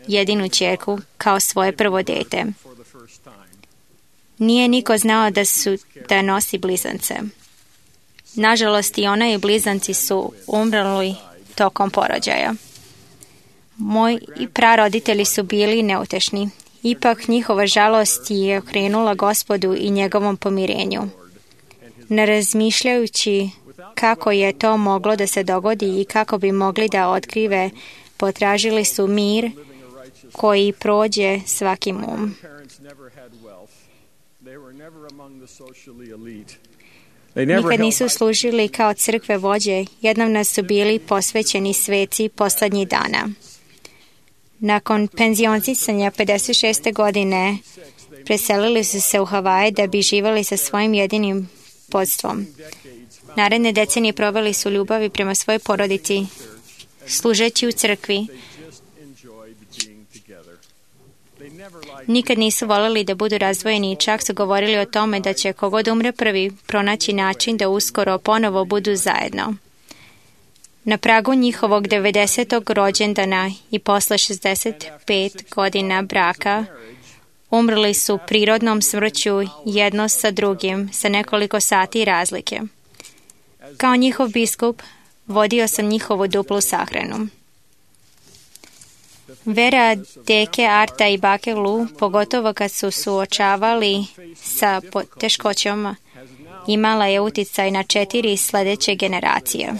F: jedinu ćerku kao svoje prvo dete. Nije niko znao da, su, da nosi blizance. Nažalost, i ona i blizanci su umrli tokom porođaja. Moji praroditelji su bili neutešni. Ipak njihova žalost je okrenula Gospodu i njegovom pomirenju. Ne razmišljajući kako je to moglo da se dogodi i kako bi mogli da otkrive, potražili su mir koji prođe svakim um. Nikad nisu služili kao crkve vođe, jednom su bili posvećeni sveci poslednjih dana. Nakon penzionisanja pedeset šeste. godine preselili su se u Havaje da bi živjeli sa svojim jedinim podstvom. Naredne decenije proveli su ljubavi prema svojoj porodici, služeći u crkvi. Nikad nisu voljeli da budu razdvojeni i čak su govorili o tome da će kogod umre prvi pronaći način da uskoro ponovo budu zajedno. Na pragu njihovog devedesetog rođendana i posle šezdeset pet godina braka umrli su prirodnom smrću jedno sa drugim sa nekoliko sati razlike. Kao njihov biskup vodio sam njihovu duplu sahranu. Vera deke Arta i bake Lu, pogotovo kad su suočavali sa teškoćama, imala je uticaj na četiri sledeće generacije.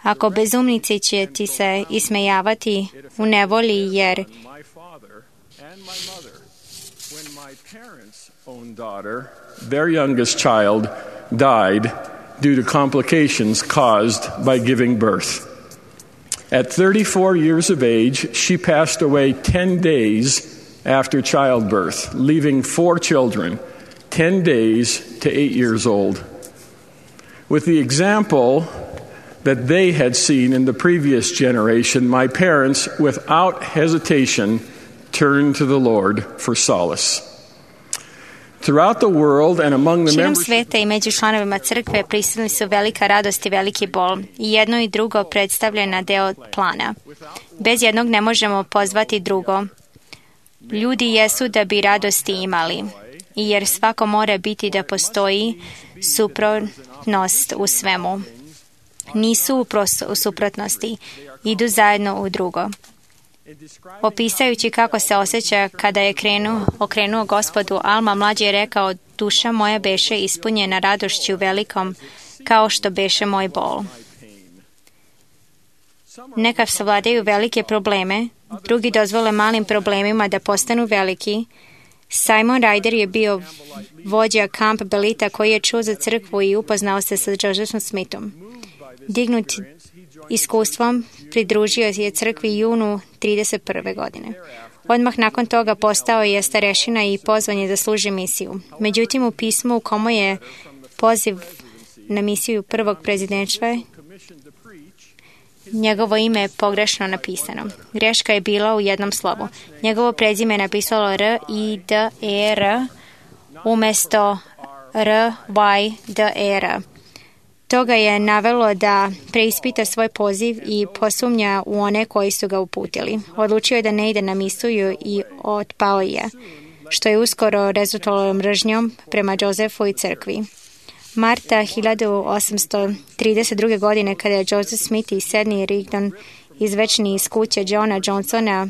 F: Ako bezumnici će ti se ismejavati u nevolji jer
G: their youngest child died due to complications caused by giving birth. At thirty-four years of age, she passed away ten days after childbirth, leaving four children, ten days to eight years old. With the example that they had seen in the previous generation, my parents, without hesitation, turned to the Lord for solace. Throughout the world and among the
F: Širom
G: members...
F: sveta i među članovima crkve prisutni su velika radost i veliki bol. I jedno i drugo predstavljena deo plana. Bez jednog ne možemo pozvati drugo. Ljudi jesu da bi radosti imali. I jer svako mora biti da postoji suprotnost u svemu. Nisu u, pros- u suprotnosti. Idu zajedno u drugo. Opisujući kako se osjeća kada je krenuo, okrenuo Gospodu, Alma mlađi je rekao, duša moja beše ispunjena radošću velikom, kao što beše moj bol. Neka savladaju velike probleme, drugi dozvole malim problemima da postanu veliki. Simon Ryder je bio vođa Camp Belita koji je čuo za crkvu i upoznao se sa Josephom Smithom. Dignut iskustvom pridružio je crkvi junu trideset prve. godine. Odmah nakon toga postao je starešina i pozvan je da služi misiju. Međutim, u pismu u komu je poziv na misiju prvog prezidentstva, njegovo ime je pogrešno napisano. Greška je bila u jednom slovu. Njegovo prezime je napisalo R I D E R umjesto R Y D E R. To ga je navelo da preispita svoj poziv i posumnja u one koji su ga uputili. Odlučio je da ne ide na misiju i otpao je, što je uskoro rezultovalo mržnjom prema Josefu i crkvi. Marta hiljadu osamsto trideset druge. godine, kada je Joseph Smith i Sidney Rigdon izvečeni iz kuće Johna Johnsona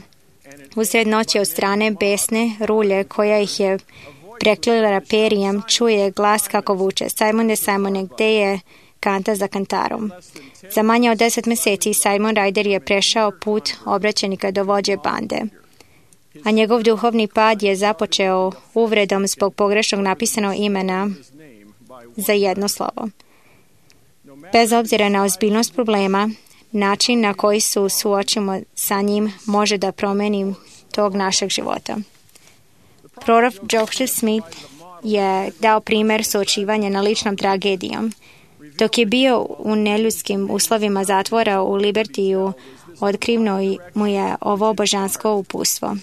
F: usred noći od strane besne rulje koja ih je preklila perijem, čuje glas kako vuče. Simone, Simone, gde je kanta za kantarom? Za manje od deset meseci Simon Ryder je prešao put obraćenika do vođe bande, a njegov duhovni pad je započeo uvredom zbog pogrešnog napisanog imena za jedno slovo. Bez obzira na ozbiljnost problema, način na koji se suočimo sa njim može da promeni tog našeg života. Prorok Joseph Smith je dao primjer suočivanja na ličnom tragedijom. Dok je bio u neljudskim uslovima zatvora u Libertiju, otkrivno mu je ovo božansko uputstvo,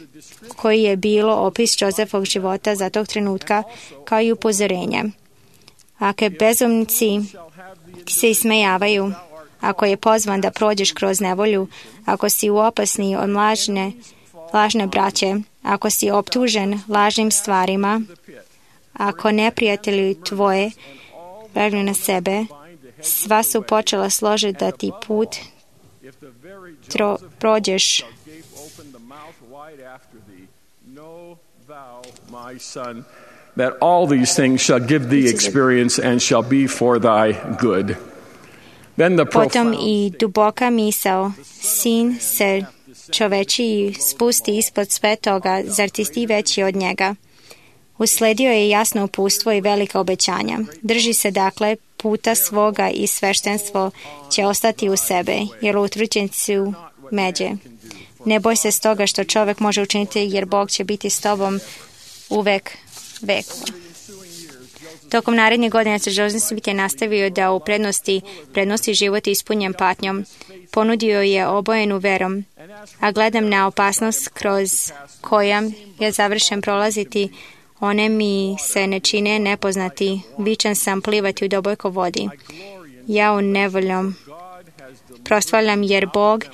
F: koji je bilo opis Josephovog života za tog trenutka, kao i upozorenje. Ako bezumnici ti se ismejavaju, ako je pozvan da prođeš kroz nevolju, ako si u opasni od lažne, lažne braće, ako si optužen lažnim stvarima, ako neprijatelji tvoje vrgnu na sebe, sva su počela složiti da ti put tro, prođeš.
G: That all these things shall give thee experience and shall be for thy good. Then the
F: Potom i duboka misao, sin se čovečiji spusti ispod sve toga, zar ti ti veći od njega? Usledio je jasno uputstvo i velika obećanja. Drži se dakle puta svoga i sveštenstvo će ostati u sebe, jer utvrđen su međe. Ne boj se stoga što čovjek može učiniti, jer Bog će biti s tobom uvek veku. Tokom narednih godina se Joseph Smith je nastavio da u prednosti prednosti život ispunjen patnjom. Ponudio je obojenu verom, a gledam na opasnost kroz kojom je završen prolaziti. One mi se ne čine nepoznati, vičan sam plivati u dubokoj vodi. Ja u nevoljom proslavljam, jer Bog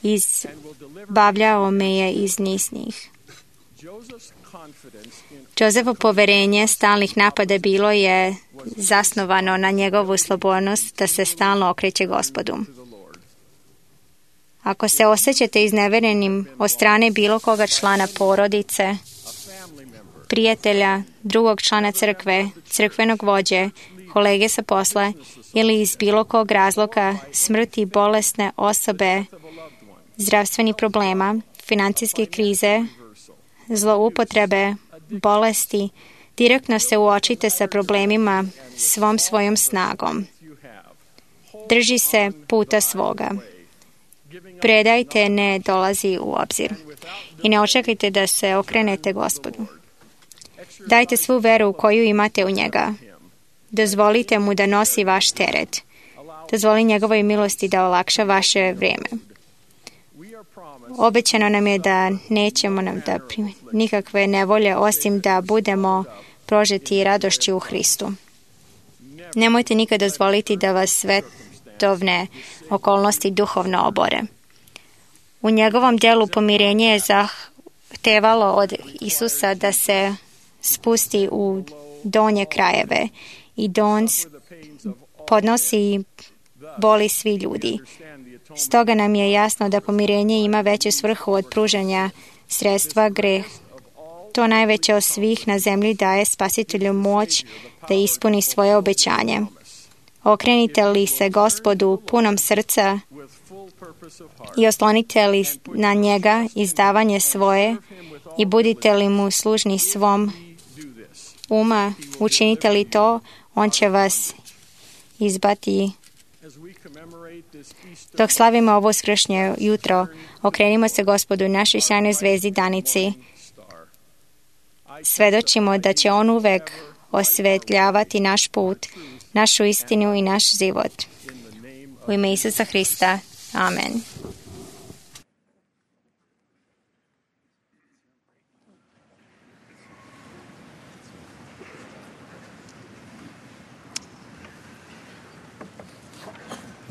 F: izbavljao me je iz nisnih. Josephovo poverenje stalnih napada bilo je zasnovano na njegovu slobodnost da se stalno okreće Gospodu. Ako se osjećate izneverenim od strane bilo koga člana porodice, prijatelja, drugog člana crkve, crkvenog vođe, kolege sa posla ili iz bilo kog razloga smrti bolesne osobe, zdravstvenih problema, financijske krize, zloupotrebe, bolesti, direktno se uočite sa problemima svom svojom snagom. Drži se puta svoga. Predajte ne dolazi u obzir i ne očekajte da se okrenete Gospodu. Dajte svu veru koju imate u njega. Dozvolite mu da nosi vaš teret. Dozvoli njegovoj milosti da olakša vaše vrijeme. Obećano nam je da nećemo nam da primiti nikakve nevolje osim da budemo prožeti radošću u Hristu. Nemojte nikad dozvoliti da vas svetovne okolnosti duhovno obore. U njegovom djelu pomirenje je zahtevalo od Isusa da se spusti u donje krajeve i da on podnosi boli svi ljudi. Stoga nam je jasno da pomirenje ima veću svrhu od pružanja sredstva greh. To najveće od svih na zemlji daje Spasitelju moć da ispuni svoje obećanje. Okrenite li se Gospodu punom srca i oslonite li na njega izdavanje svoje i budite li mu služni svom uma, učinite li to, on će vas izbati. Dok slavimo ovo uskršnje jutro, okrenimo se Gospodu, našoj sjajnoj zvezdi danici. Svedočimo da će on uvek osvetljavati naš put, našu istinu i naš život. U ime Isusa Hrista. Amen.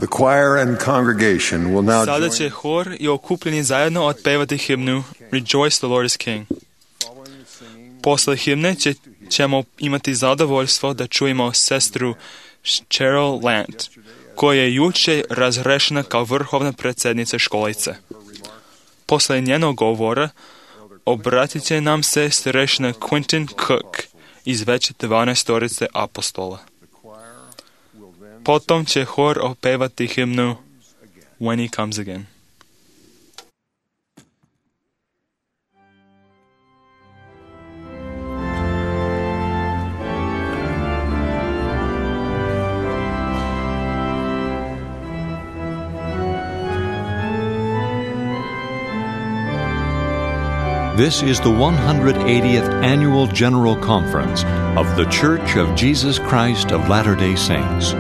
C: The choir and congregation will now
B: Sada
C: join.
B: će hor i okupljeni zajedno otpevati himnu Rejoice, the Lord is King. Posle himne će, ćemo imati zadovoljstvo da čujemo sestru Cheryl Lant, koja je juče razrešena kao vrhovna predsjednica školice. Posle njenog govora obratit će nam se starešina Quentin Cook iz već dvanaestorice apostola. Potom će hor opevati himnu When He Comes Again.
H: This is the one hundred eightieth Annual General Conference of The Church of Jesus Christ of Latter-day Saints.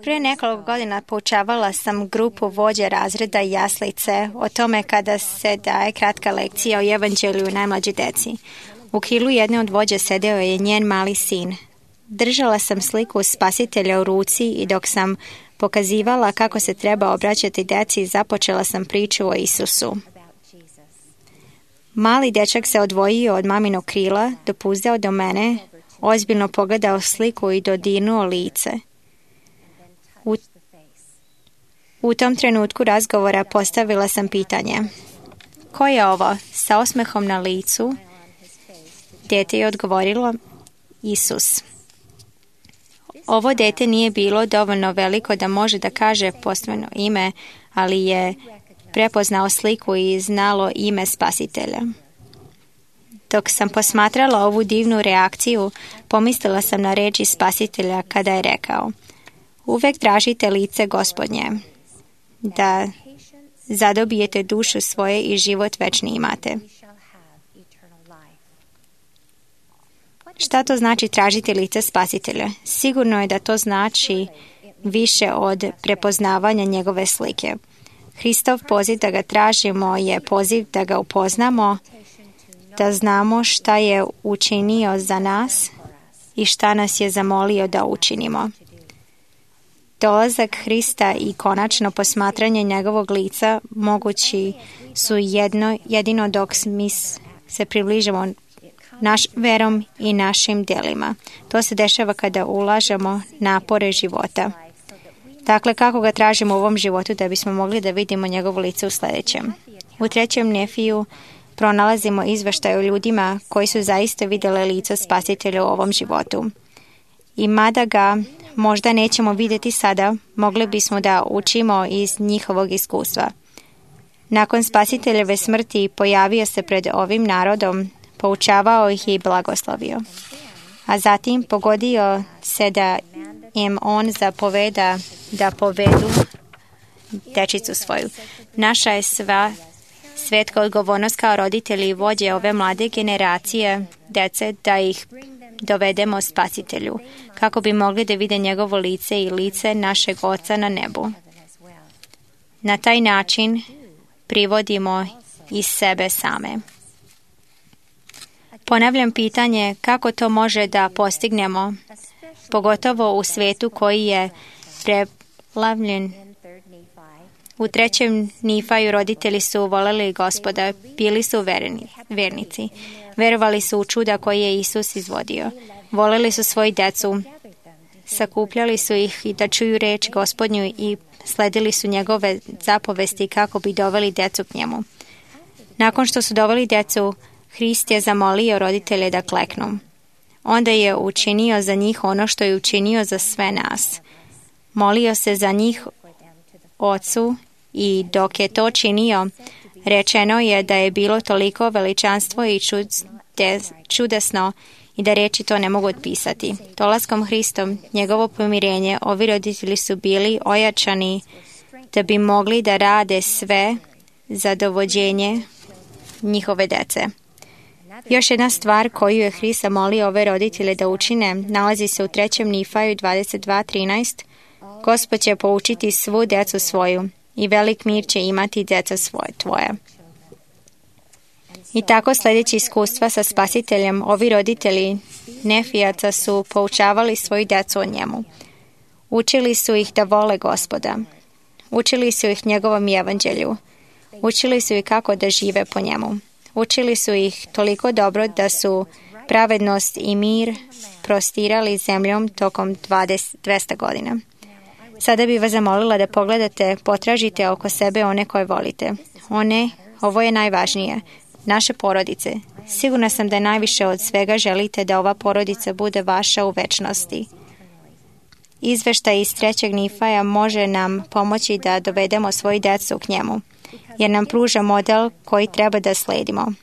F: Prije nekoliko godina poučavala sam grupu vođe razreda i jaslice o tome kada se daje kratka lekcija o evanđelju najmlađoj deci. U krilu jedne od vođe sedeo je njen mali sin. Držala sam sliku spasitelja u ruci i dok sam pokazivala kako se treba obraćati deci, započela sam priču o Isusu. Mali dečak se odvojio od maminog krila, dopuzdao do mene, ozbiljno pogledao sliku i dodirnuo lice. U, u tom trenutku razgovora postavila sam pitanje: ko je ovo sa osmehom na licu? Dete je odgovorilo: Isus. Ovo dete nije bilo dovoljno veliko da može da kaže postojano ime, ali je prepoznao sliku i znalo ime Spasitelja. Dok sam posmatrala ovu divnu reakciju, pomislila sam na reči Spasitelja kada je rekao: uvek tražite lice Gospodnje, da zadobijete dušu svoje i život večni imate. Šta to znači tražiti lice Spasitelja? Sigurno je da to znači više od prepoznavanja njegove slike. Hristov poziv da ga tražimo je poziv da ga upoznamo, da znamo šta je učinio za nas i šta nas je zamolio da učinimo. Dolazak Hrista i konačno posmatranje njegovog lica mogući su jedno, jedino dok mi se približimo naš verom i našim djelima. To se dešava kada ulažemo napore života. Dakle, kako ga tražimo u ovom životu da bismo mogli da vidimo njegovo lice u sljedećem? U trećem Nefiju pronalazimo izveštaj o ljudima koji su zaista vidjeli lice Spasitelja u ovom životu. I mada ga možda nećemo vidjeti sada, mogli bismo da učimo iz njihovog iskustva. Nakon Spasiteljeve smrti pojavio se pred ovim narodom, poučavao ih i blagoslovio. A zatim pogodio se da im on zapoveda da povedu dečicu svoju. Naša je sva svetka odgovornost kao roditelji i vođe ove mlade generacije dece da ih dovedemo Spasitelju, kako bi mogli da vide njegovo lice i lice našeg Oca na nebu. Na taj način privodimo iz sebe same. Ponavljam pitanje kako to može da postignemo, pogotovo u svetu koji je preplavljen. U trećem Nifaju roditelji su voleli Gospoda, bili su verni, vernici. Verovali su u čuda koje je Isus izvodio. Voleli su svoju decu, sakupljali su ih i da čuju reč Gospodnju i sledili su njegove zapovesti kako bi doveli decu k njemu. Nakon što su doveli decu, Hrist je zamolio roditelje da kleknu. Onda je učinio za njih ono što je učinio za sve nas. Molio se za njih Ocu i dok je to činio, rečeno je da je bilo toliko veličanstvo i čudesno i da reči to ne mogu otpisati. Dolaskom Hristom, njegovo pomirenje, ovi roditelji su bili ojačani da bi mogli da rade sve za dovođenje njihove dece. Još jedna stvar koju je Hrist molio ove roditelje da učine nalazi se u trećem Nifaju dvadeset dva trinaest. Gospod će poučiti svu decu svoju i velik mir će imati deca svoje tvoje. I tako sljedeći iskustva sa Spasiteljem, ovi roditelji Nefijaca su poučavali svoju decu o njemu. Učili su ih da vole Gospoda. Učili su ih njegovom evanđelju. Učili su ih kako da žive po njemu. Učili su ih toliko dobro da su pravednost i mir prostirali zemljom tokom dvesta godina. Sada bih vas zamolila da pogledate, potražite oko sebe one koje volite. One, ovo je najvažnije, naše porodice. Sigurna sam da najviše od svega želite da ova porodica bude vaša u večnosti. Izveštaj iz trećeg Nifaja može nam pomoći da dovedemo svoju decu k njemu, jer nam pruža model koji treba da sledimo.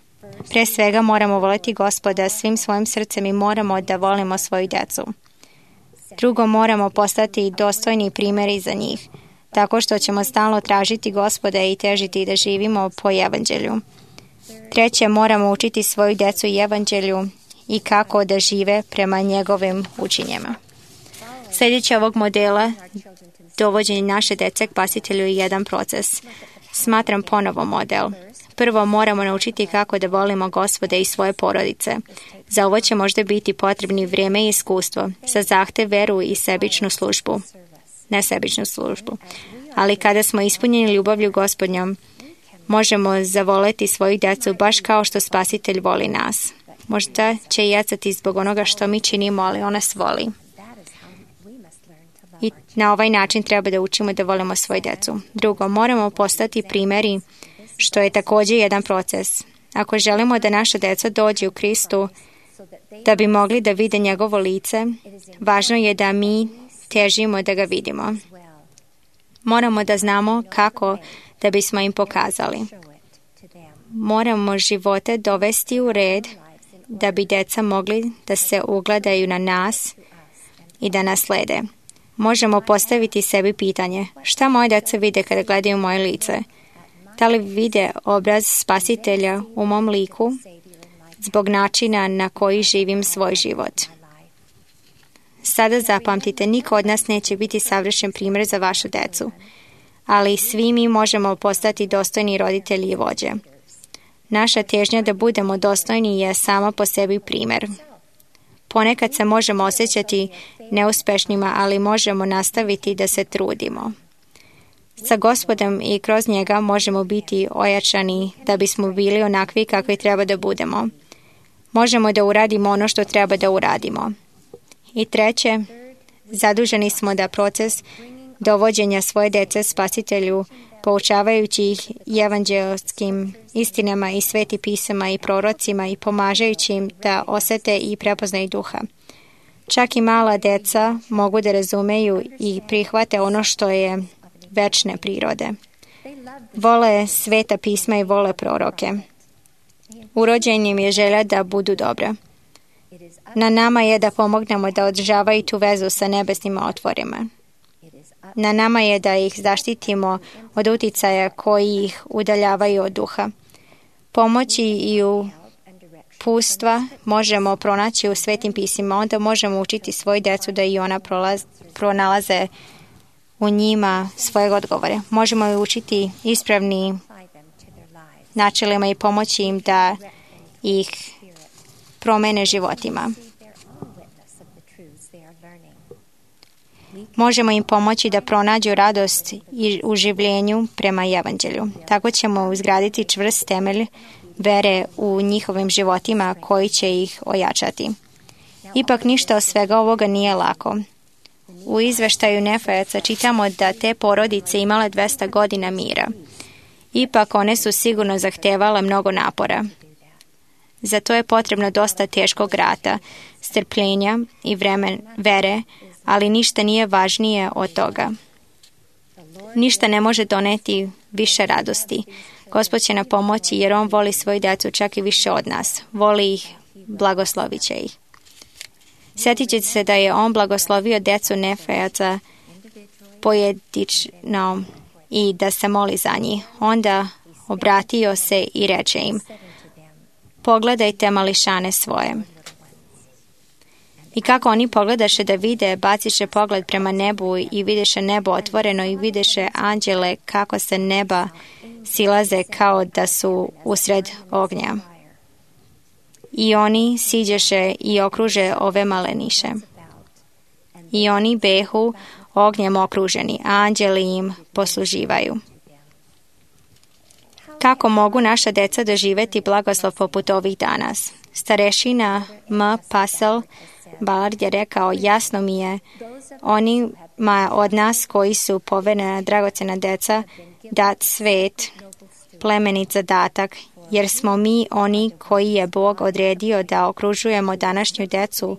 F: Pre svega moramo voliti Gospoda svim svojim srcem i moramo da volimo svoju decu. Drugo, moramo postati dostojni primjeri za njih, tako što ćemo stalno tražiti Gospoda i težiti da živimo po evanđelju. Treće, moramo učiti svoju decu evanđelju i kako da žive prema njegovim učenjima. Sljedeće ovog modela dovođenje naše dece k Spasitelju je jedan proces. Smatram ponovo model. Prvo moramo naučiti kako da volimo Gospoda i svoje porodice. Za ovo će možda biti potrebni vrijeme i iskustvo, za zahtev, veru i sebičnu službu. Ne sebičnu službu. Ali kada smo ispunjeni ljubavlju Gospodnjom, možemo zavoleti svoju decu baš kao što Spasitelj voli nas. Možda će jecati zbog onoga što mi činimo, ali on nas voli. I na ovaj način treba da učimo da volimo svoju decu. Drugo, moramo postati primjeri, što je također jedan proces. Ako želimo da naša deca dođe u Kristu, da bi mogli da vide njegovo lice, važno je da mi težimo da ga vidimo. Moramo da znamo kako da bismo im pokazali. Moramo živote dovesti u red da bi deca mogli da se ugledaju na nas i da nas slede. Možemo postaviti sebi pitanje, šta moje deca vide kada gledaju moje lice? Da li vide obraz Spasitelja u mom liku zbog načina na koji živim svoj život? Sada zapamtite, niko od nas neće biti savršen primjer za vašu decu, ali svi mi možemo postati dostojni roditelji i vođe. Naša težnja da budemo dostojni je sama po sebi primjer. Ponekad se možemo osjećati neuspešnima, ali možemo nastaviti da se trudimo. Sa Gospodom i kroz njega možemo biti ojačani da bismo bili onakvi kakvi treba da budemo. Možemo da uradimo ono što treba da uradimo. I treće, zaduženi smo da proces dovođenja svoje dece Spasitelju, poučavajući ih evanđelskim istinama i sveti pisama i prorocima i pomažajući im da osete i prepoznaju duha. Čak i mala deca mogu da razumeju i prihvate ono što je večne prirode. Vole sveta pisma i vole proroke. Urođen im je želja da budu dobra. Na nama je da pomognemo da održavaju tu vezu sa nebesnim otvorima. Na nama je da ih zaštitimo od uticaja koji ih udaljavaju od duha. Pomoći i uputstva možemo pronaći u svetim pismima, onda možemo učiti svoju decu da i ona prolaz, pronalaze u njima svoje odgovore. Možemo i učiti ispravni načelima i pomoći im da ih promene životima. Možemo im pomoći da pronađu radost i u življenju prema evanđelju. Tako ćemo izgraditi čvrst temelj vere u njihovim životima koji će ih ojačati. Ipak ništa od svega ovoga nije lako. U izveštaju Nefajaca čitamo da te porodice imale dvesta godina mira. Ipak one su sigurno zahtevale mnogo napora. Zato je potrebno dosta teškog rata, strpljenja i vremen vere, ali ništa nije važnije od toga. Ništa ne može doneti više radosti. Gospod će nam pomoći jer On voli svoju djecu čak i više od nas. Voli ih, blagoslovit će ih. Sjetit ćete se da je On blagoslovio djecu Nefajaca pojedinačno i da se moli za njih. Onda obratio se i reče im: pogledajte mališane svoje. I kako oni pogledaše da vide, baciše pogled prema nebu i vidiše nebo otvoreno i vidiše anđele kako se neba silaze kao da su usred ognja. I oni siđeše i okruže ove maleniše. I oni behu ognjem okruženi, a anđeli im posluživaju. Kako mogu naša deca doživjeti blagoslov poput ovih danas? Starešina M. Pasel Ballard je rekao: jasno mi je onima od nas koji su poverena dragocena deca dat svet, plemenit zadatak, jer smo mi oni koji je Bog odredio da okružujemo današnju decu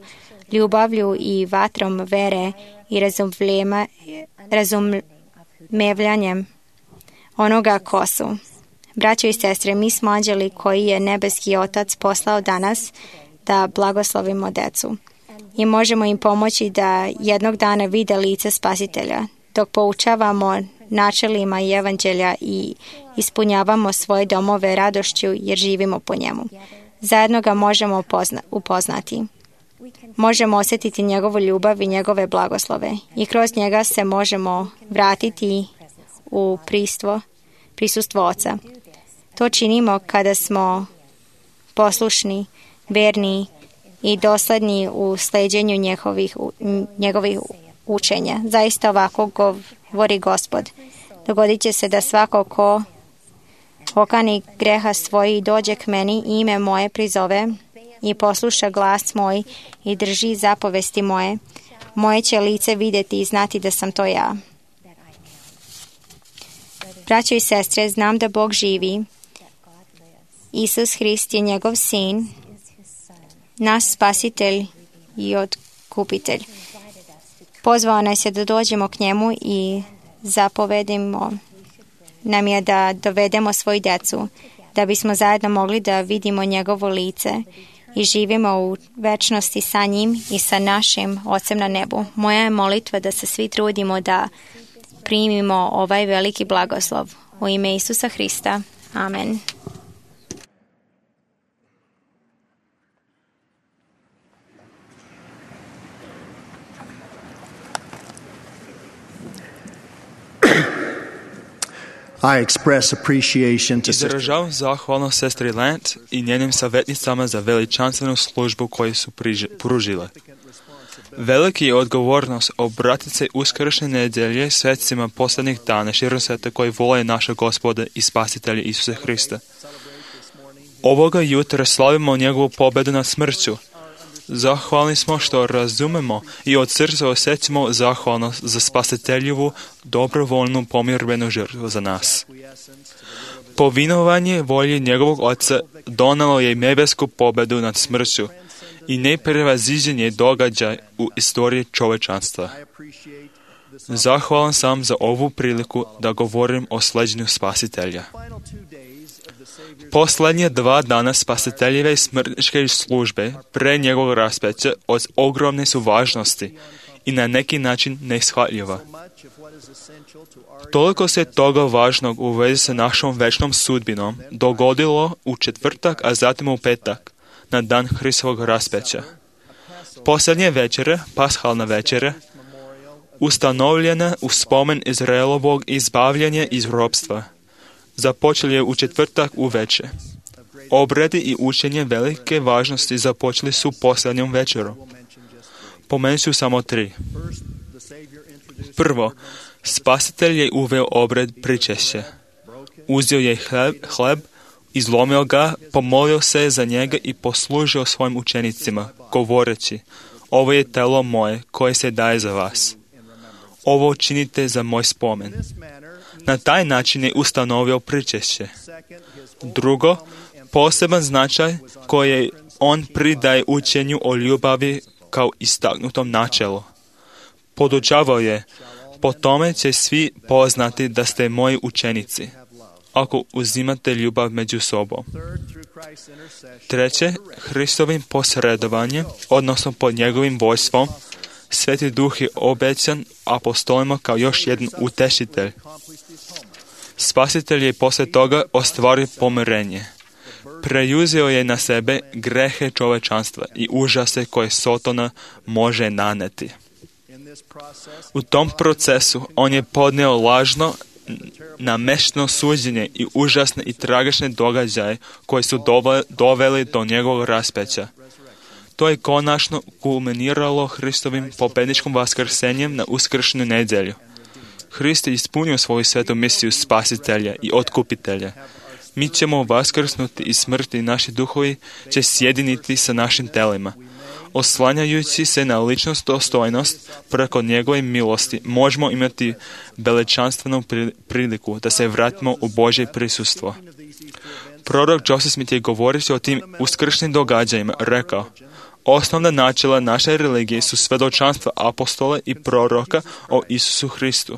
F: ljubavlju i vatrom vere i razumevljanjem onoga ko su. Braćo i sestre, mi smo anđeli koji je nebeski Otac poslao danas da blagoslovimo decu i možemo im pomoći da jednog dana vide lice Spasitelja, dok poučavamo načelima i evanđelja i ispunjavamo svoje domove radošću jer živimo po njemu. Zajedno ga možemo pozna- upoznati. Možemo osjetiti njegovu ljubav i njegove blagoslove i kroz njega se možemo vratiti u pristvo, prisustvo Oca. To činimo kada smo poslušni, verni i dosledni u sleđenju njegovih, njegovih učenja. Zaista ovako govori Gospod. Dogodit će se da svako ko okani greha svoj i dođe k meni i ime moje prizove i posluša glas moj i drži zapovesti moje, moje će lice vidjeti i znati da sam to ja. Braćo i sestre, znam da Bog živi. Isus Hrist je njegov sin, naš spasitelj i otkupitelj. Pozvao nas je da dođemo k njemu i zapovedimo nam je da dovedemo svoju djecu, da bismo zajedno mogli da vidimo njegovo lice i živimo u večnosti sa njim i sa našim Ocem na nebu. Moja je molitva da se svi trudimo da primimo ovaj veliki blagoslov. U ime Isusa Hrista. Amen.
I: I express appreciation to
B: Izražavam zahvalnost sestri Lent i njenim savjetnicama za veličanstvenu službu koju su priži, pružile. Veliki je odgovornost obratiti se uskršnje nedjelje svecima posljednjih dana širom sveta koji vole naša Gospoda i Spasitelja Isusa Hrista. Ovoga jutra slavimo njegovu pobedu nad smrću. Zahvalni smo što razumemo i od srca osjećamo zahvalnost za Spasiteljevu dobrovoljnu pomirbenu žrtvu za nas. Povinovanje volje njegovog Oca donalo je nebesku pobedu nad smrću i neprevaziđen je događaj u istoriji čovečanstva. Zahvalan sam za ovu priliku da govorim o sleđenju Spasitelja. Posljednje dva dana Spasiteljeve smrtničke službe pre njegovog raspeća od ogromne su važnosti i na neki način neishvatljiva. Toliko se toga važnog u vezi sa našom večnom sudbinom dogodilo u četvrtak, a zatim u petak, na dan Hristovog raspeća. Posljednje večere, pashalna večera, ustanovljena u spomen Izraelovog izbavljanja iz ropstva, započeli je u četvrtak uveče. Obredi i učenje velike važnosti započeli su posljednjom večerom. Pomenut ću samo tri. Prvo, Spasitelj je uveo obred pričešća. Uzeo je hleb, hleb, izlomio ga, pomolio se za njega i poslužio svojim učenicima, govoreći: ovo je telo moje koje se daje za vas. Ovo činite za moj spomen. Na taj način je ustanovio pričešće. Drugo, poseban značaj koji on pridaje učenju o ljubavi kao istaknutom načelu. Podučavao je: po tome će svi poznati da ste moji učenici, ako uzimate ljubav među sobom. Treće, Hristovim posredovanjem, odnosno pod njegovim vojstvom, Sveti Duh je obećan apostolima kao još jedan utešitelj. Spasitelj je poslije toga ostvario pomirenje. Preuzeo je na sebe grehe čovečanstva i užase koje Sotona može naneti. U tom procesu on je podnio lažno, namešteno suđenje i užasne i tragične događaje koji su doveli do njegovog raspeća. To je konačno kulminiralo Hristovim pobedničkim vaskrsenjem na uskršnju nedjelju. Hrist je ispunio svoju svetu misiju Spasitelja i Otkupitelja. Mi ćemo vaskrsnuti iz smrti i naši duhovi će sjediniti sa našim telima. Oslanjajući se na ličnost dostojnost preko njegove milosti, možemo imati veličanstvenu priliku da se vratimo u Božje prisustvo. Prorok Joseph Smith je govoreći o tim uskršnjim događajima rekao: osnovna načela naše religije su svjedočanstva apostola i proroka o Isusu Hristu,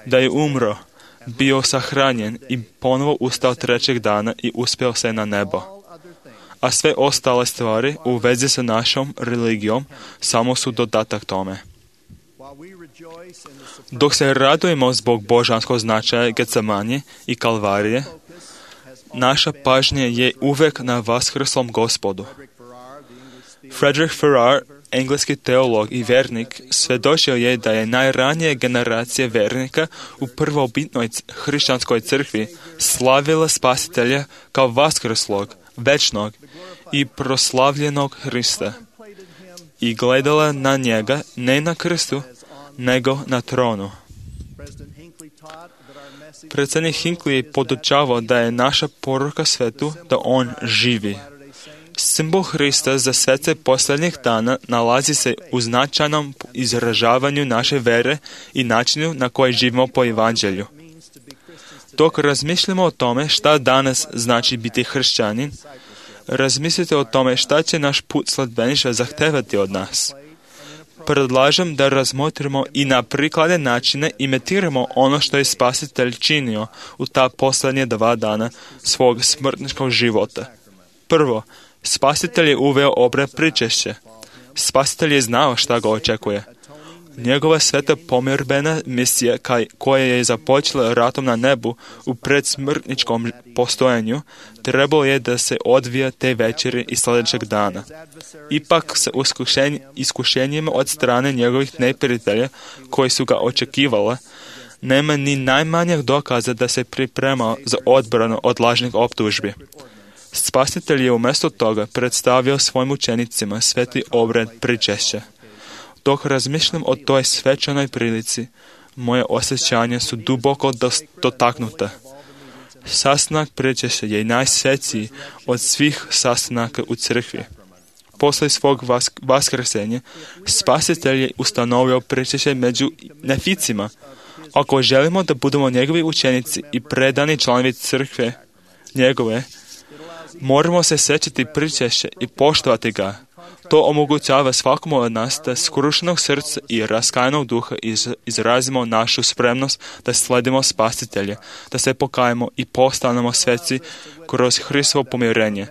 B: da je umro, bio sahranjen i ponovo ustao trećeg dana i uspeo se na nebo. A sve ostale stvari u vezi sa našom religijom samo su dodatak tome. Dok se radujemo zbog božanskog značaja Getsemanje i Kalvarije, naša pažnja je uvek na vaskrslom Gospodu. Frederick Farrar, engleski teolog i vernik, svjedočio je da je najranije generacije vernika u prvobitnoj hrišćanskoj crkvi slavila Spasitelja kao vaskrslog, večnog i proslavljenog Hrista i gledala na njega ne na krstu, nego na tronu. Predsjednik Hinckley je podučavao da je naša poruka svetu da on živi. Simbol Hrista za svece posljednjih dana nalazi se u značajnom izražavanju naše vere i načinu na koji živimo po evanđelju. Dok razmišljamo o tome šta danas znači biti hrišćanin, razmislite o tome šta će naš put sledbeništva zahtevati od nas. Predlažem da razmotrimo i na prikladne načine imitiramo ono što je Spasitelj činio u ta posljednje dva dana svog smrtničkog života. Prvo, Spasitelj je uveo obred pričešća. Spasitelj je znao šta ga očekuje. Njegova sveta pomirbena misija koja je započela ratom na nebu u predsmrtničkom postojanju trebalo je da se odvija te večeri i sljedećeg dana. Ipak sa iskušenjima od strane njegovih neprijatelja koji su ga očekivala, nema ni najmanjeg dokaza da se pripremao za odbranu od lažnih optužbi. Spasitelj je umjesto toga predstavio svojim učenicima sveti obred pričešća. Dok razmišljam o toj svečanoj prilici, moje osjećanja su duboko dotaknuta. Sastanak pričešća je najsvetiji od svih sastanaka u crkvi. Poslije svog vas, vaskrsenja, Spasitelj je ustanovio pričešće među neficima. Ako želimo da budemo njegovi učenici i predani članovi crkve njegove, moramo se sjećati pričešća i poštovati ga. To omogućava svakom od nas da skrušenog srca i raskajanog duha iz, izrazimo našu spremnost da sledimo Spasitelje, da se pokajemo i postanemo sveci kroz Hristovo pomirenje.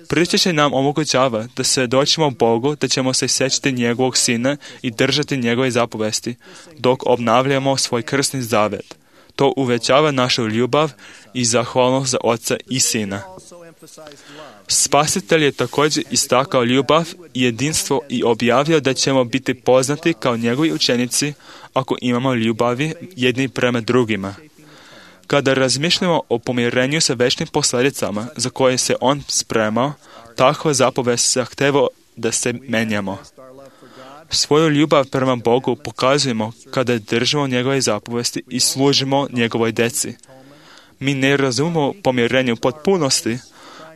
B: Pričešće nam omogućava da svjedočimo Bogu da ćemo se sjećati njegovog Sina i držati njegove zapovesti, dok obnavljamo svoj krsni zavet. To uvećava našu ljubav i zahvalnost za Oca i Sina. Spasitelj je također istakao ljubav i jedinstvo i objavio da ćemo biti poznati kao njegovi učenici ako imamo ljubavi jedni prema drugima. Kada razmišljamo o pomirenju sa večnim posljedicama za koje se on spremao, takva zapovest zahteva da se menjamo. Svoju ljubav prema Bogu pokazujemo kada držimo njegove zapovesti i služimo njegovoj djeci. Mi ne razumemo pomirenje u potpunosti,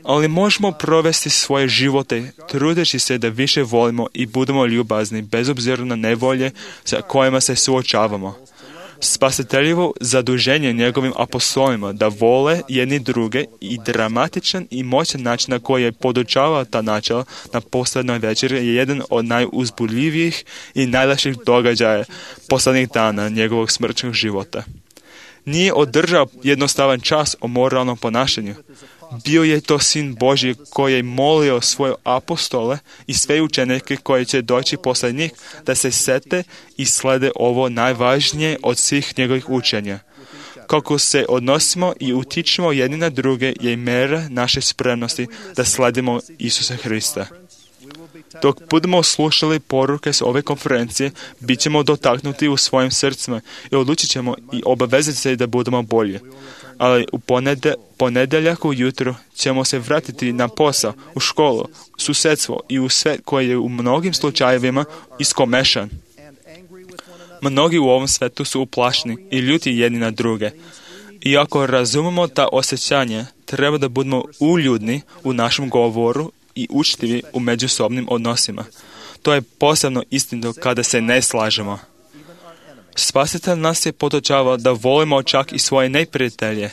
B: ali možemo provesti svoje živote trudeći se da više volimo i budemo ljubazni bez obzira na nevolje sa kojima se suočavamo. Spasiteljevo zaduženje njegovim apostolima da vole jedni druge i dramatičan i moćan način na koji je podučavao ta načela na posljednoj večeri je jedan od najuzbudljivijih i najlakših događaja posljednjih dana njegovog smrtnog života. Nije održao jednostavan čas o moralnom ponašanju. Bio je to Sin Božji koji je molio svoje apostole i sve učenike koji će doći poslije njih da se sete i slede ovo najvažnije od svih njegovih učenja. Kako se odnosimo i utičemo jedni na druge je mjera naše spremnosti da sledimo Isusa Hrista. Dok budemo slušali poruke s ove konferencije, bit ćemo dotaknuti u svojim srcima i odlučit ćemo i obavezati se da budemo bolji. Ali u ponedje, ponedjeljak ujutro ćemo se vratiti na posao, u školu, susjedstvo i u svet koji je u mnogim slučajevima iskomešan. Mnogi u ovom svetu su uplašni i ljuti jedni na druge. I ako razumemo ta osjećanja, treba da budemo uljudni u našem govoru i učtivi u međusobnim odnosima. To je posebno istinito kada se ne slažemo. Spasitelj nas je podučavao da volimo čak i svoje neprijatelje.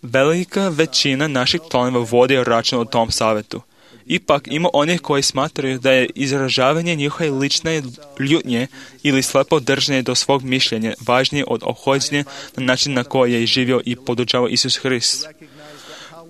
B: Velika većina naših članova vodi račun o tom savjetu. Ipak ima onih koji smatraju da je izražavanje njihove lične ljutnje ili slepo držanje do svog mišljenja važnije od ophođenja na način na koji je živio i podučavao Isus Hrist.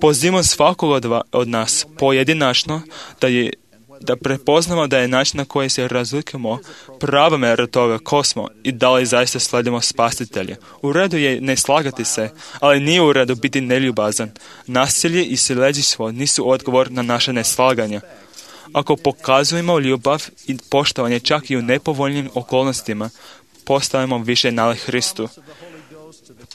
B: Pozivam svakog od, od nas pojedinačno da je da prepoznamo da je način na koji se razlikujemo prava mjera toga ko smo i da li zaista sledimo Spasitelja. U redu je ne slagati se, ali nije u redu biti neljubazan. Nasilje i siledžstvo nisu odgovor na naše neslaganje. Ako pokazujemo ljubav i poštovanje čak i u nepovoljnim okolnostima, postajemo više nalik Hristu.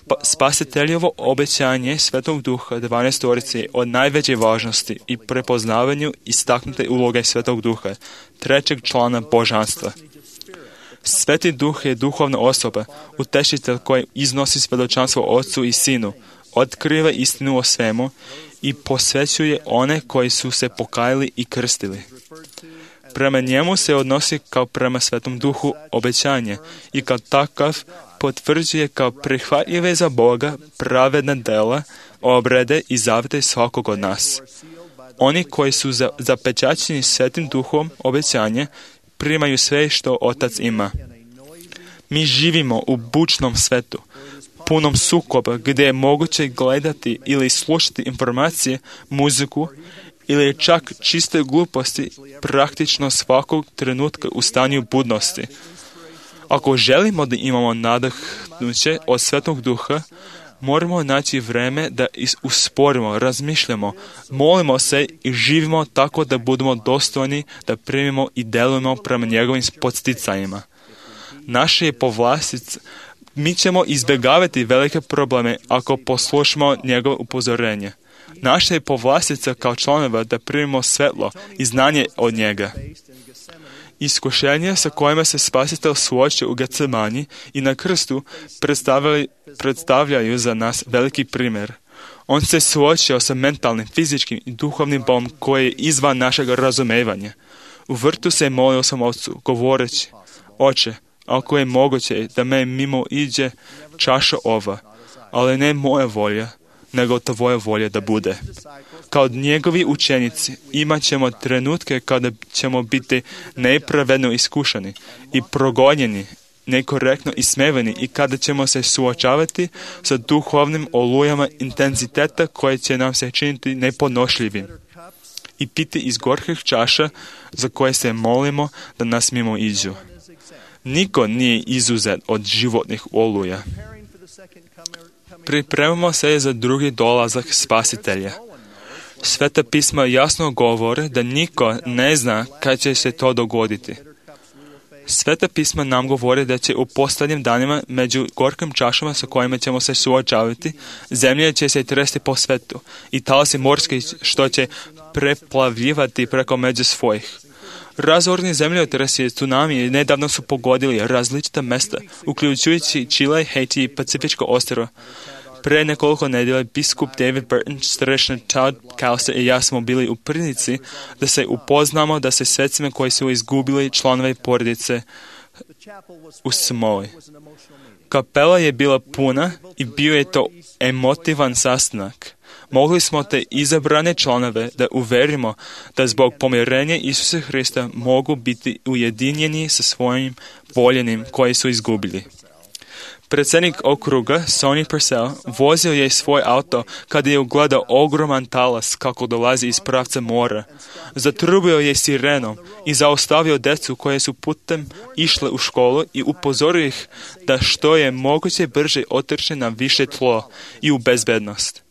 B: Pa, Spasiteljevo obećanje Svetog Duha dvanaestorice je od najveće važnosti i prepoznavanju istaknute uloge Svetog Duha, trećeg člana božanstva. Sveti Duh je duhovna osoba, utešitelj koji iznosi svjedočanstvo Otcu i Sinu, otkriva istinu o svemu i posvećuje one koji su se pokajali i krstili. Prema njemu se odnosi kao prema Svetom Duhu obećanje i kao takav potvrđuje kao prihvatljive za Boga pravedna dela, obrede i zavete svakog od nas. Oni koji su za, zapečaćeni Svetim Duhom obećanje primaju sve što Otac ima. Mi živimo u bučnom svetu, punom sukoba gdje je moguće gledati ili slušati informacije, muziku ili čak čiste gluposti praktično svakog trenutka u stanju budnosti. Ako želimo da imamo nadahnuće od Svetog Duha, moramo naći vreme da usporimo, razmišljamo, molimo se i živimo tako da budemo dostojni da primimo i delujemo prema njegovim podsticajima. Naše je povlastic, mi ćemo izbjegavati velike probleme ako poslušamo njegovo upozorenje. Naša je povlastica kao članova da primimo svetlo i znanje od njega. Iskušenja sa kojima se Spasitelj suočio u Getsemani i na krstu predstavljaju za nas veliki primjer. On se suočio sa mentalnim, fizičkim i duhovnim bolom koje je izvan našeg razumevanja. U vrtu se molio sam Otcu, govoreći: Oče, ako je moguće da me mimo iđe čaša ova, ali ne moja volja, nego tvoja volja da bude. Kao njegovi učenici imat ćemo trenutke kada ćemo biti nepravedno iskušani i progonjeni, nekorektno ismevani i kada ćemo se suočavati sa duhovnim olujama intenziteta koje će nam se činiti nepodnošljivim i piti iz gorkih čaša za koje se molimo da nas mimo iđu. Niko nije izuzet od životnih oluja. Pripremamo se za drugi dolazak Spasitelja. Sveta pisma jasno govore da niko ne zna kad će se to dogoditi. Sveta pisma nam govore da će u posljednjim danima među gorkim čašama sa kojima ćemo se suočavati, zemlja će se tresti po svetu i talasi morski što će preplavljivati preko među svojih. Razorni zemljotresi i tsunami nedavno su pogodili različita mesta, uključujući Čile, Haiti i Pacifičko ostrvo. Pre nekoliko nedjelja biskup David Burton, starešina Todd Kauser i ja smo bili u prilici da se upoznamo da se svecima koji su izgubili članove porodice u Samoji. Kapela je bila puna i bio je to emotivan sastanak. Mogli smo te izabrane članove da uverimo da zbog pomirenja Isusa Hrista mogu biti ujedinjeni sa svojim voljenim koji su izgubili. Predsjednik okruga, Sonny Purcell, vozio je svoj auto kada je ugledao ogroman talas kako dolazi iz pravca mora. Zatrubio je sirenom i zaustavio djecu koje su putem išle u školu i upozorio ih da što je moguće brže otrče na više tlo i u bezbednost.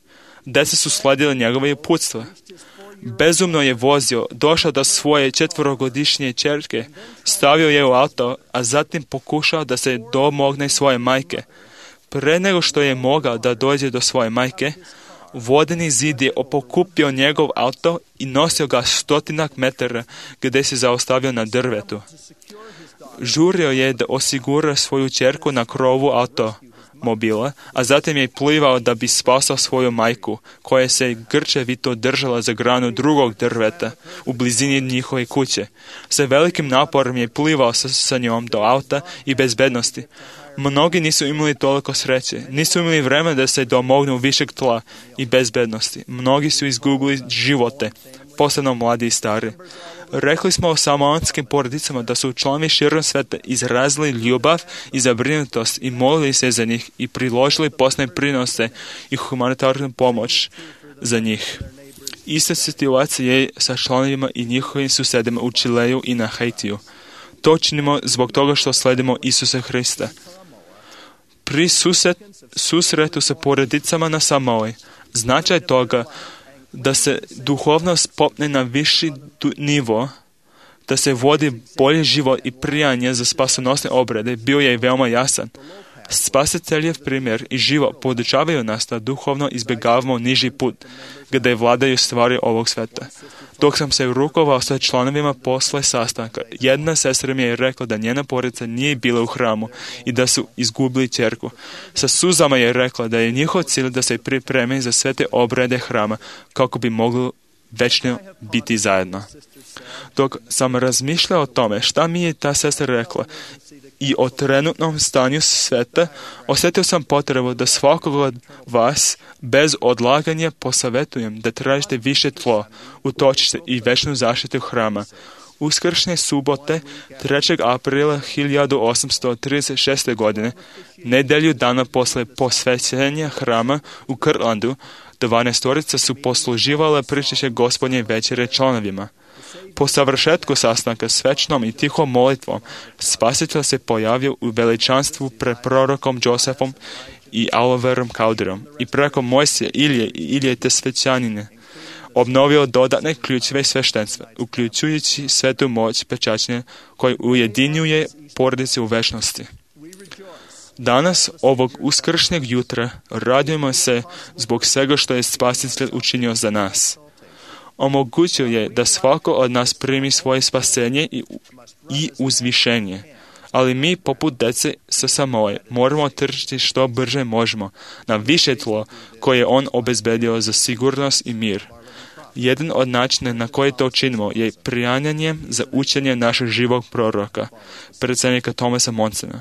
B: Djeca su sledile njegove uputstva. Bezumno je vozio, došao do svoje četvorogodišnje ćerke, stavio je u auto, a zatim pokušao da se domogne svoje majke. Pre nego što je mogao da dođe do svoje majke, vodeni zid je pokupio njegov auto i nosio ga stotinak metara gdje se zaustavio na drvetu. Žurio je da osigura svoju ćerku na krovu auto mobila, a zatim je plivao da bi spasao svoju majku, koja se grčevito držala za granu drugog drveta u blizini njihove kuće. Sa velikim naporom je plivao sa, sa njom do auta i bezbednosti. Mnogi nisu imali toliko sreće, nisu imali vremena da se domognu višeg tla i bezbednosti. Mnogi su izgubili živote, posebno mladi i stari. Rekli smo o samoanskim porodicama da su članovi širom sveta izrazili ljubav i zabrinutost i molili se za njih i priložili posebne prinose i humanitarnu pomoć za njih. Ista situacija je sa članovima i njihovim susedima u Čileju i na Haitiju. To činimo zbog toga što sledimo Isusa Hrista. Pri susret, susretu sa porodicama na Samoji, značaj toga da se duhovnost popne na viši nivo, da se vodi bolji život i prijanje za spasonosne obrede, bio je veoma jasan. Spasiteljev primjer i život podučavaju nas da duhovno izbjegavamo niži put, gdje vladaju stvari ovog sveta. Dok sam se rukovao sa članovima posle sastanka, jedna sestra mi je rekla da njena porodica nije bila u hramu i da su izgubili ćerku. Sa suzama je rekla da je njihov cilj da se pripreme za sve te obrede hrama kako bi mogli večno biti zajedno. Dok sam razmišljao o tome šta mi je ta sestra rekla i o trenutnom stanju sveta, osjetio sam potrebu da svakog od vas bez odlaganja posavjetujem da tražite više tlo, utočište i večnu zaštitu hrama. Uskršnje subote, trećeg aprila hiljadu osamsto trideset šeste. godine, nedjelju dana posle posvećenja hrama u Kirtlandu, dvanaestorica su posluživale pričešće Gospodnje večere članovima. Po savršetku sastanka s večnom i tihom molitvom, Spasitelj se pojavio u veličanstvu pred prorokom Josefom i Oliverom Cowderom i preko Mojsija, Ilije i Ilije te svećanine obnovio dodatne ključeve sveštenstva, uključujući svetu moć pečaćenja koji ujedinjuje porodice u večnosti. Danas, ovog uskršnjeg jutra, radujemo se zbog svega što je Spasitelj učinio za nas. Omogućio je da svako od nas primi svoje spasenje i, i uzvišenje. Ali mi, poput dece sa Samoje, moramo trčiti što brže možemo na više tlo koje je on obezbedio za sigurnost i mir. Jedan od načina na koji to činimo je prijanjanje za učenje našeg živog proroka, predsjednika Thomasa Monsona.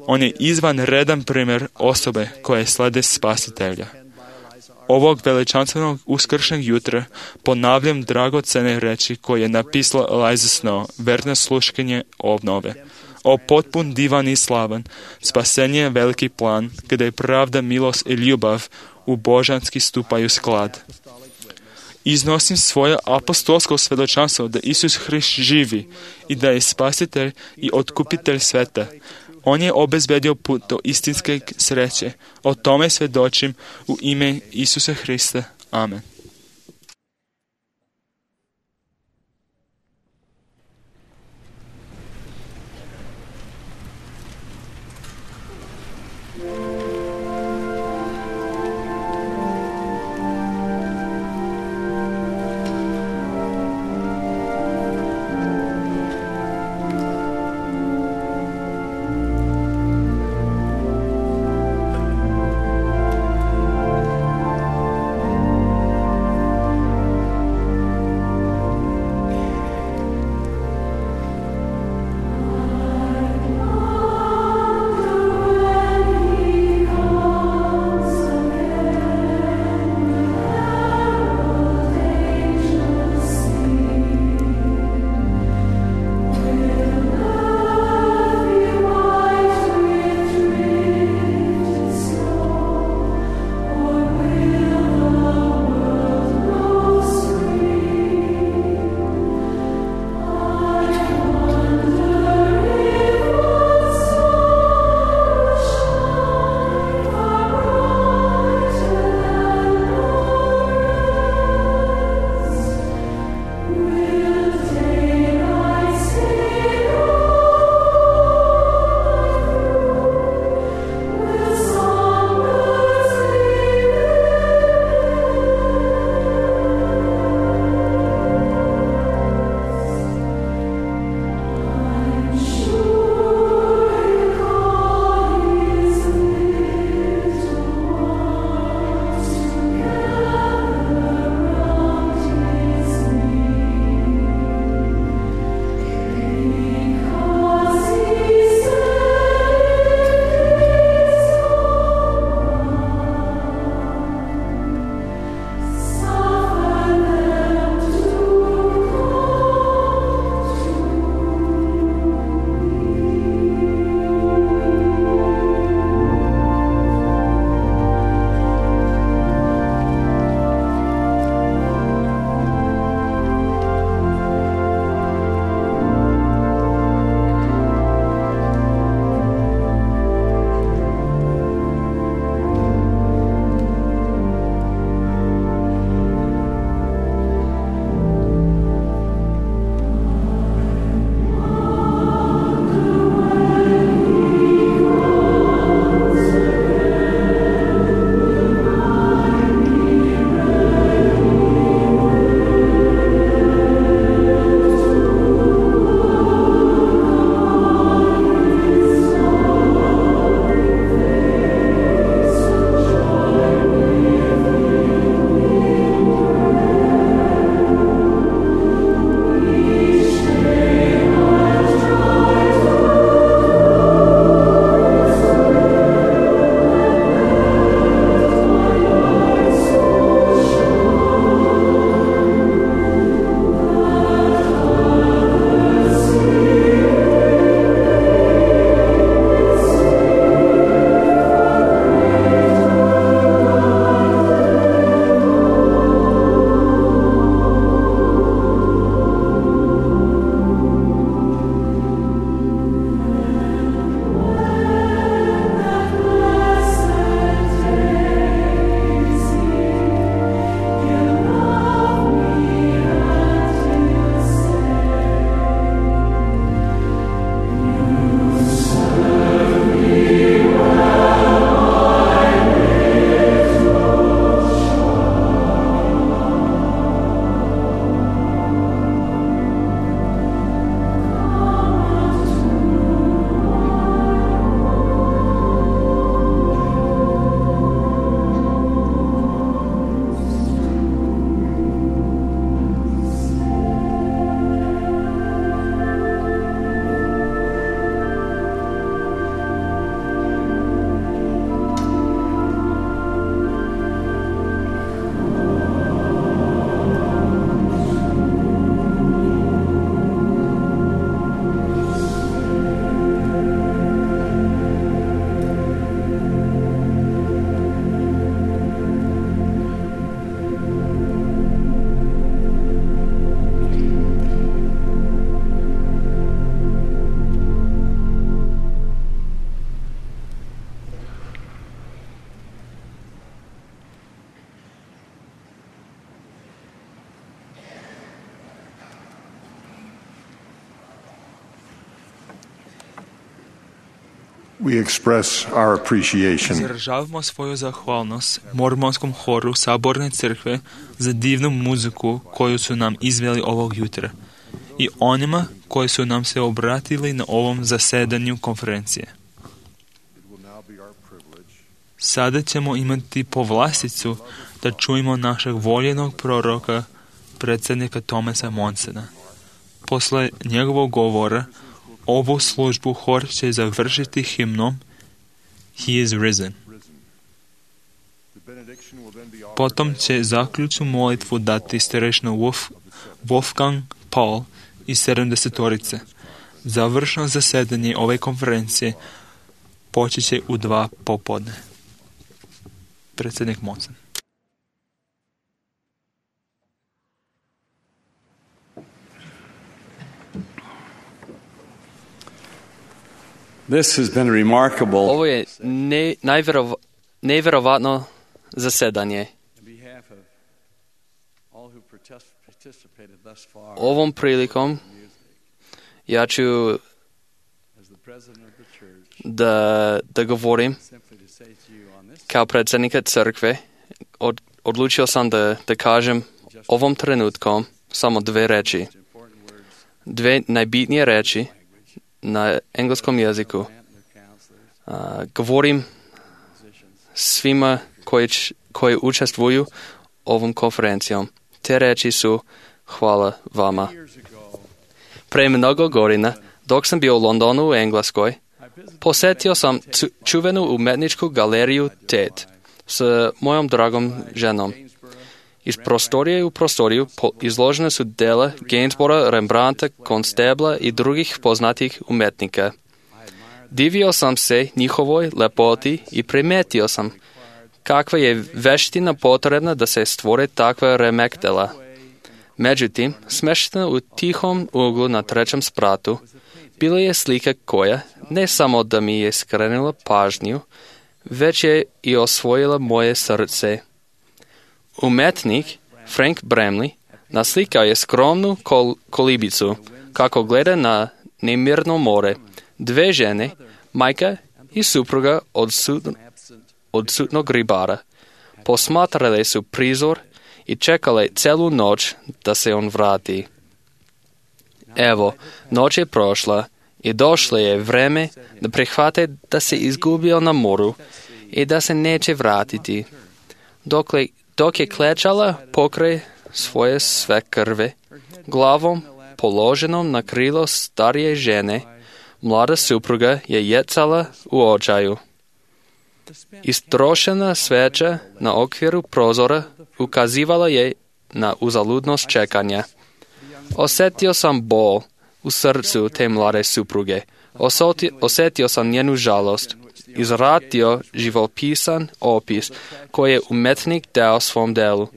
B: On je izvanredan primjer osobe koje slede Spasitelja. ovog veličanstvenog uskršnjeg jutra ponavljam dragocene reči koje je napisala Liza Snow, verno sluškanje obnove. O potpun, divan i slavan, spasenje je veliki plan, gdje pravda, milost i ljubav u božanski stupaju sklad. Iznosim svoje apostolsko svjedočanstvo da Isus Hrist živi i da je spasitelj i otkupitelj sveta. On je obezbedio put do istinske sreće. O tome svjedočim u ime Isusa Hrista. Amen.
C: We express our appreciation
B: Izražavamo svoju zahvalnost mormonskom horu Saborne crkve za divnu muziku koju su nam izveli ovog jutra i onima koji su nam se obratili na ovom zasedanju konferencije. Sada ćemo imati povlasticu da čujemo našeg voljenog proroka, predsjednika Thomasa Monsona. Posle njegovog govora, ovu službu hor će završiti himnom He is risen. Potom će zaključnu molitvu dati starešina Wolf, Wolfgang Paul iz sedamdesetorice. Završno zasedanje ove konferencije počet će u dva popodne. Predsjednik Monson.
J: This has been remarkable.
K: Ovo je ne, najverov, nevjerovatno zasedanje. Ovom prilikom ja ću da, da govorim kao predsjednika crkve. Od, odlučio sam da, da kažem ovom trenutkom samo dve reči. Dve najbitnije reči na engleskom jeziku. Uh, govorim svima koji, koji učestvuju ovom konferencijom. Te reči su hvala vama. Pre mnogo godina, dok sam bio u Londonu u Engleskoj, posjetio sam čuvenu umetničku galeriju Tate s mojom dragom ženom. Iz prostorije u prostoriju izložene su dela Gainsbora, Rembrandta, Constebla i drugih poznatih umetnika. Divio sam se njihovoj lepoti i primetio sam kakva je veština potrebna da se stvore takva remektela. Međutim, smeštena u tihom uglu na trećem spratu, bila je slika koja ne samo da mi je skrenula pažnju, već je i osvojila moje srce. Umetnik Frank Bramley naslikao je skromnu kol- kolibicu kako gleda na nemirno more. Dve žene, majka i supruga odsut- odsutnog ribara, posmatrale su prizor i čekale celu noć da se on vrati. Evo, noć je prošla i došlo je vreme da prihvate da se izgubio na moru i da se neće vratiti. Dokle Dok je klečala pokraj svoje sve krve, glavom položenom na krilo starije žene, mlada supruga je jecala u očaju. Istrošena sveća na okviru prozora ukazivala je na uzaludnost čekanja. Osjetio sam bol u srcu te mlade supruge. Osoti, osjetio sam njenu žalost. Izratio živopisan opis koji je umetnik dao svom delu.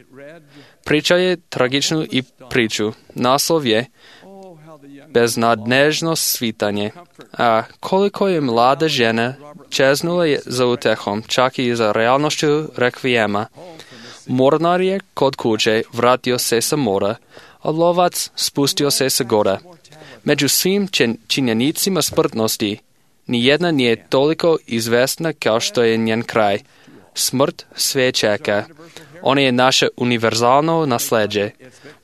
K: Priča je tragičnu i priču. Naslov je Beznadnežno svitanje. A koliko je mlada žena čeznula je za utehom, čak i za realnošću rekvijema. Mornar je kod kuće vratio se sa mora, a lovac spustio se sa gora. Među svim činjenicima smrtnosti, nijedna nije toliko izvesna kao što je njen kraj. Smrt sve čeka. Ona je naše univerzalno nasleđe.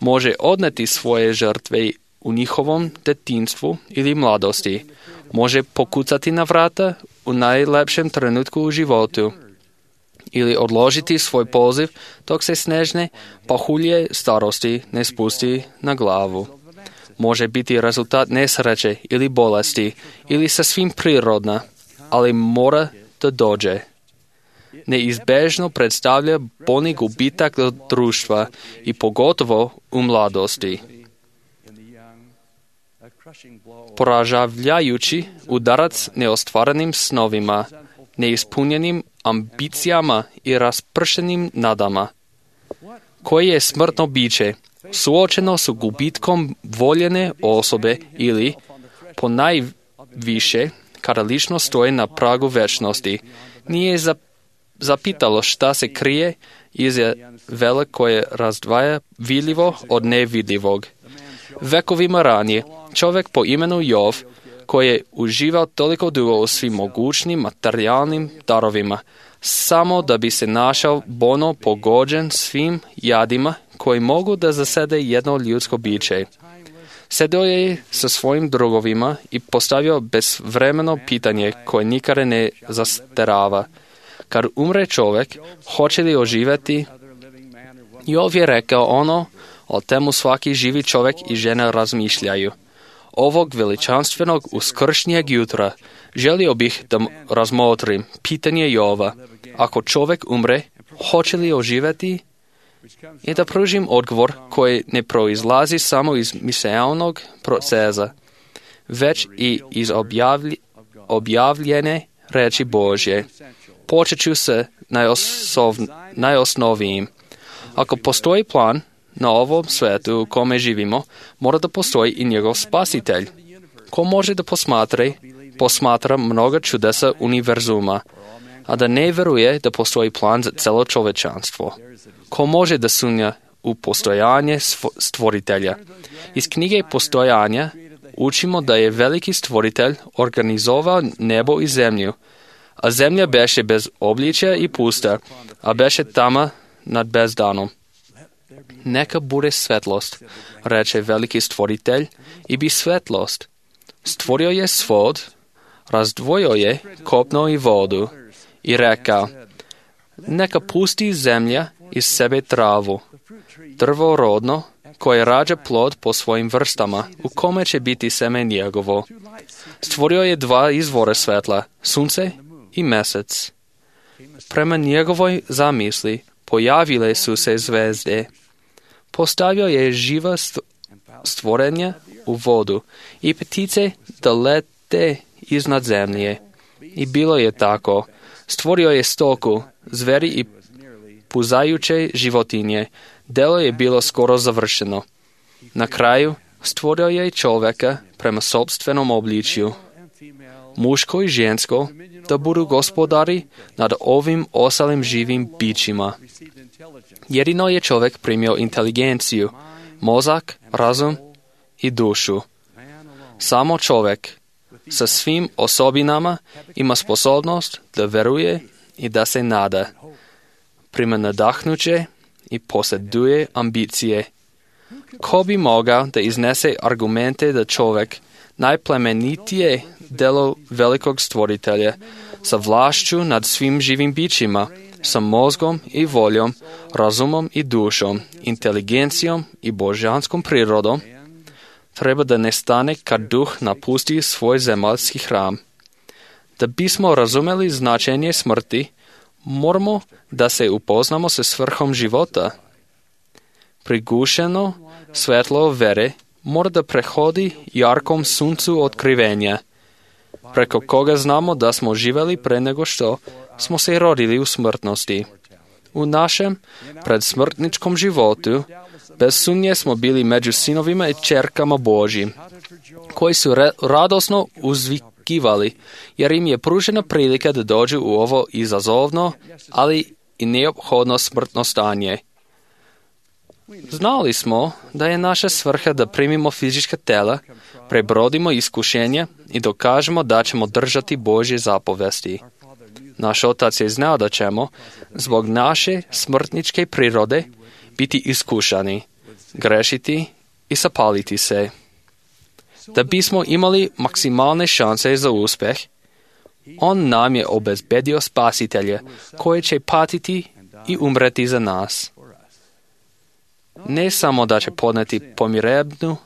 K: Može odneti svoje žrtve u njihovom detinjstvu ili mladosti. Može pokucati na vrata u najlepšem trenutku u životu. Ili odložiti svoj poziv dok se snežne pahulje starosti ne spusti na glavu. Može biti rezultat nesreće ili bolesti ili sasvim prirodna, ali mora da dođe. Neizbežno predstavlja bolni gubitak društva i pogotovo u mladosti. Poražavajući udarac neostvarenim snovima, neispunjenim ambicijama i raspršenim nadama. Koje je smrtno biće, suočeno su gubitkom voljene osobe ili, po najviše, kada ličnost stoji na pragu večnosti, nije zapitalo šta se krije iza vela koje razdvaja vidljivo od nevidljivog. Vekovima ranije, čovjek po imenu Jov koji je uživao toliko dugo u svim mogućnim materijalnim darovima, samo da bi se našao bolno pogođen svim jadima koji mogu da zasede jedno ljudsko biće. Sedeo je sa svojim drugovima i postavio bezvremeno pitanje koje nikada ne zastarava. Kad umre čovjek, hoće li oživjeti? Jov je rekao ono o temu svaki živi čovjek i žena razmišljaju. Ovog veličanstvenog uskršnjeg jutra želio bih da razmotrim pitanje Jova. Ako čovjek umre, hoće li oživjeti? I da pružim odgovor koji ne proizlazi samo iz misaonog procesa, već i iz objavlj, objavljene reči Božje. Počet ću se najosov, najosnovijim. Ako postoji plan na ovom svetu u kome živimo, mora da postoji i njegov spasitelj. Ko može da posmatra, posmatra mnoga čudesa univerzuma, a da ne veruje da postoji plan za celo čovečanstvo. Ko može da sumnja u postojanje stvoritelja? Iz knjige Postojanja učimo da je veliki stvoritelj organizovao nebo i zemlju, a zemlja beše bez obličja i pusta, a beše tama nad bezdanom. Neka bude svetlost, reče veliki stvoritelj, i bi svetlost. Stvorio je svod, razdvojio je kopno i vodu i rekao, neka pusti zemlja iz sebe travu, drvo rodno, koje rađa plod po svojim vrstama, u kome će biti seme njegovo. Stvorio je dva izvore svetla, sunce i mesec. Prema njegovoj zamisli pojavile su se zvezde. Postavio je živa stvorenja u vodu i ptice da lete iznad zemlje. I bilo je tako. Stvorio je stoku, zveri i puzajuće životinje. Delo je bilo skoro završeno. Na kraju stvorio je čovjeka prema sopstvenom obličju. Muško i žensko da budu gospodari nad ovim ostalim živim bićima. Jedino je čovjek primio inteligenciju, mozak, razum i dušu. Samo čovjek sa svim osobinama ima sposobnost da veruje i da se nada. Prima nadahnuće i posjeduje ambicije. Ko bi mogao da iznese argumente da čovjek najplemenitije delo velikog stvoritelja, sa vlašću nad svim živim bićima, sa mozgom i voljom, razumom i dušom, inteligencijom i božanskom prirodom, treba da nestane kad duh napusti svoj zemaljski hram. Da bismo razumeli značenje smrti, moramo da se upoznamo sa svrhom života. Prigušeno svetlo vere mora da prehodi jarkom suncu otkrivenja, preko koga znamo da smo živeli pre nego što smo se rodili u smrtnosti. U našem predsmrtničkom životu bez sumnje smo bili među sinovima i čerkama Božjim, koji su re- radosno uzvikivali, jer im je pružena prilika da dođu u ovo izazovno, ali i neophodno smrtno stanje. Znali smo da je naša svrha da primimo fizička tela, prebrodimo iskušenja i dokažemo da ćemo držati Božje zapovesti. Naš otac je znao da ćemo, zbog naše smrtničke prirode, biti iskušani, grešiti i zapaliti se. Da bismo imali maksimalne šanse za uspjeh, on nam je obezbedio spasitelja koji će patiti i umreti za nas. Ne samo da će podneti pomirebnu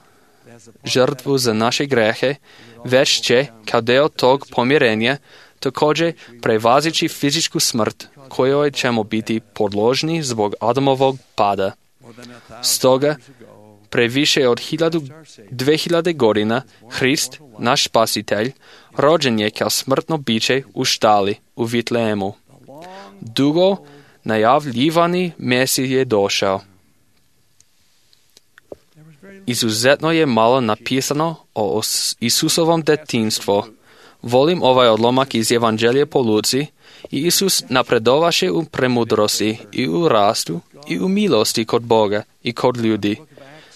K: žrtvu za naše grehe, već će, kao deo tog pomirenja, također prevazići fizičku smrt kojoj ćemo biti podložni zbog Adamovog pada. Stoga, previše od hiljadu, dve hiljade godina, Hrist, naš spasitelj, rođen je kao smrtno biće u štali u Vitlehemu. Dugo najavljivani Mesij je došao. Izuzetno je malo napisano o Isusovom detinjstvu. Volim ovaj odlomak iz Evanđelja po Luci. I Isus napredovaše u premudrosti i u rastu i u milosti kod Boga i kod ljudi.